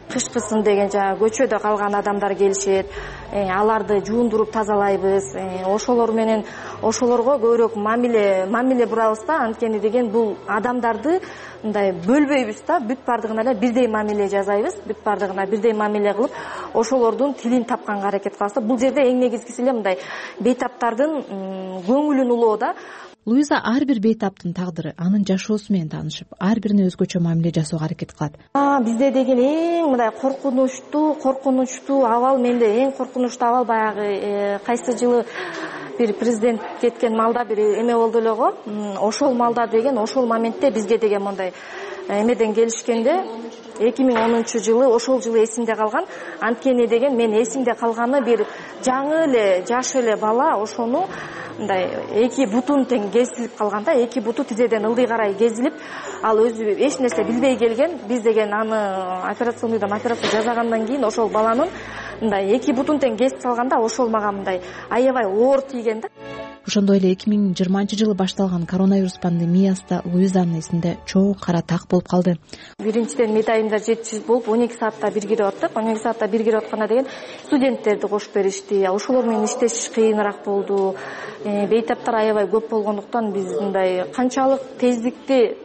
Q: кышкысын деген жана көчөдө калган адамдар келишет. Аларды жуундуруп тазалайбыз. Ошолор менен ошолорго көбүрөөк мамиле мамиле бурабыз да. Анткени деген бул адамдарды мындай бөлбөйбүз да. Бүт бардыгына эле бирдей мамиле жасайбыз. Бүт бардыгына бирдей мамиле кылып, ошолордун тилин тапканга аракет кылабыз. Бул жерде эң негизгиси эле мындай бейтаптардын көңүлүн улоо да.
H: Луиза ар бир бейтаптын тагдыры, анын жашоосу менен таанышып, ар бирине өзгөчө мамиле жасоого аракет кылат.
Q: Бизде деген эң мындай коркунучтуу, коркунучтуу абал, менде эң коркунучтуу абал баягы кайсы жылы бир президент кеткен малда бир эме болду эле го. Ошол малда деген, ошол моментте бизге деген мындай эмеден келишкенде эки миң онунчу жылы, ошол жылы эсимде калган. Анткени деген мен эсимде калганы бир жаңы эле, жаш эле бала ошону мындай эки бутун тең кесилип калган да, эки буту тизеден ылдый карай кезилип, ал өзү эч нерсе билбей келген. Биз деген аны операционныйдан операция жасагандан кийин ошол баланын мындай эки бутун тең кесип салганда ошол мага мындай аябай оор тийген да.
H: ошондой эле эки миң жыйырманчы жылы башталган коронавирус пандемиясы да Луизанын эсинде чоң кара так болуп калды.
Q: Биринчиден медайымда жетишсиз болуп он эки саатта бир кирип аттык. он эки саатта бир кирип атканда деген студенттерди кошуп беришти. Ошолор менен иштешиш кыйыныраак болду. Бейтаптар аябай көп болгондуктан биз мындай канчалык тездикти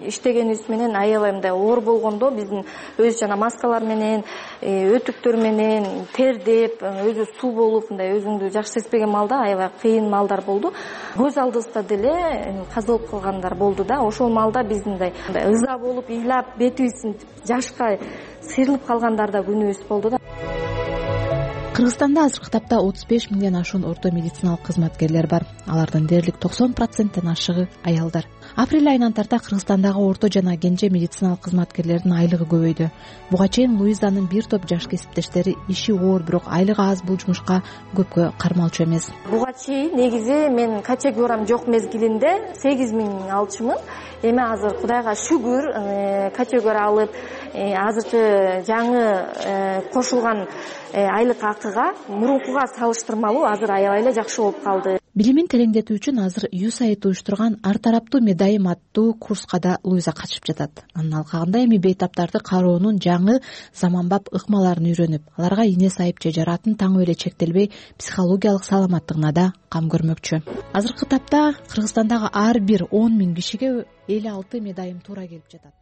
Q: иштегенибиз менен аябай мындай оор болгондо биздин өз жана маскалар менен, өтүктөр менен тердеп, өзү суу болуп мындай өзүңдү жакшы сезбеген маалда аябай кыйын маалдар болду. Көз алдыбызда деле каза болуп калгандар болду да. Ошол маалда биз мындай ыза болуп, ыйлап, бетибиздин жашка сыйрылып калгандар да күнүбүз болду да.
H: Кыргызстанда азыркы тапта отуз беш миңден ашуун орто медициналык кызматкерлер бар. Алардын дээрлик токсон проценттен ашыгы аялдар. Апрель айынан тарта Кыргызстандагы орто жана кенже медициналык кызматкерлердин айлыгы көбөйдү. Буга чейин Луизанын бир топ жаш кесиптештери иши оор, бирок айлыгы аз бул жумушка көпкө кармалчу эмес.
Q: Буга чейин негизи мен категориям жок мезгилинде сегиз миң алчумун. Эми азыр Кудайга шүгүр категория алып, азыркы жаңы кошулган айлык акыга мурункуга салыштырмалуу азыр аябай эле жакшы болуп калды.
H: Билимин тереңдетүү үчүн азыр ю эс эй ай ди уюштурган ар тараптуу медайым аттуу курска да Луиза катышып жатат. Анын алкагында эми бейтаптарды кароонун жаңы заманбап ыкмаларын үйрөнүп, аларга ине сайып же жаратын таңып эле чектелбей, психологиялык саламаттыгына да кам көрмөкчү. Азыркы тапта Кыргызстандагы ар бир он миң кишиге элүү алты медайым туура келип жатат.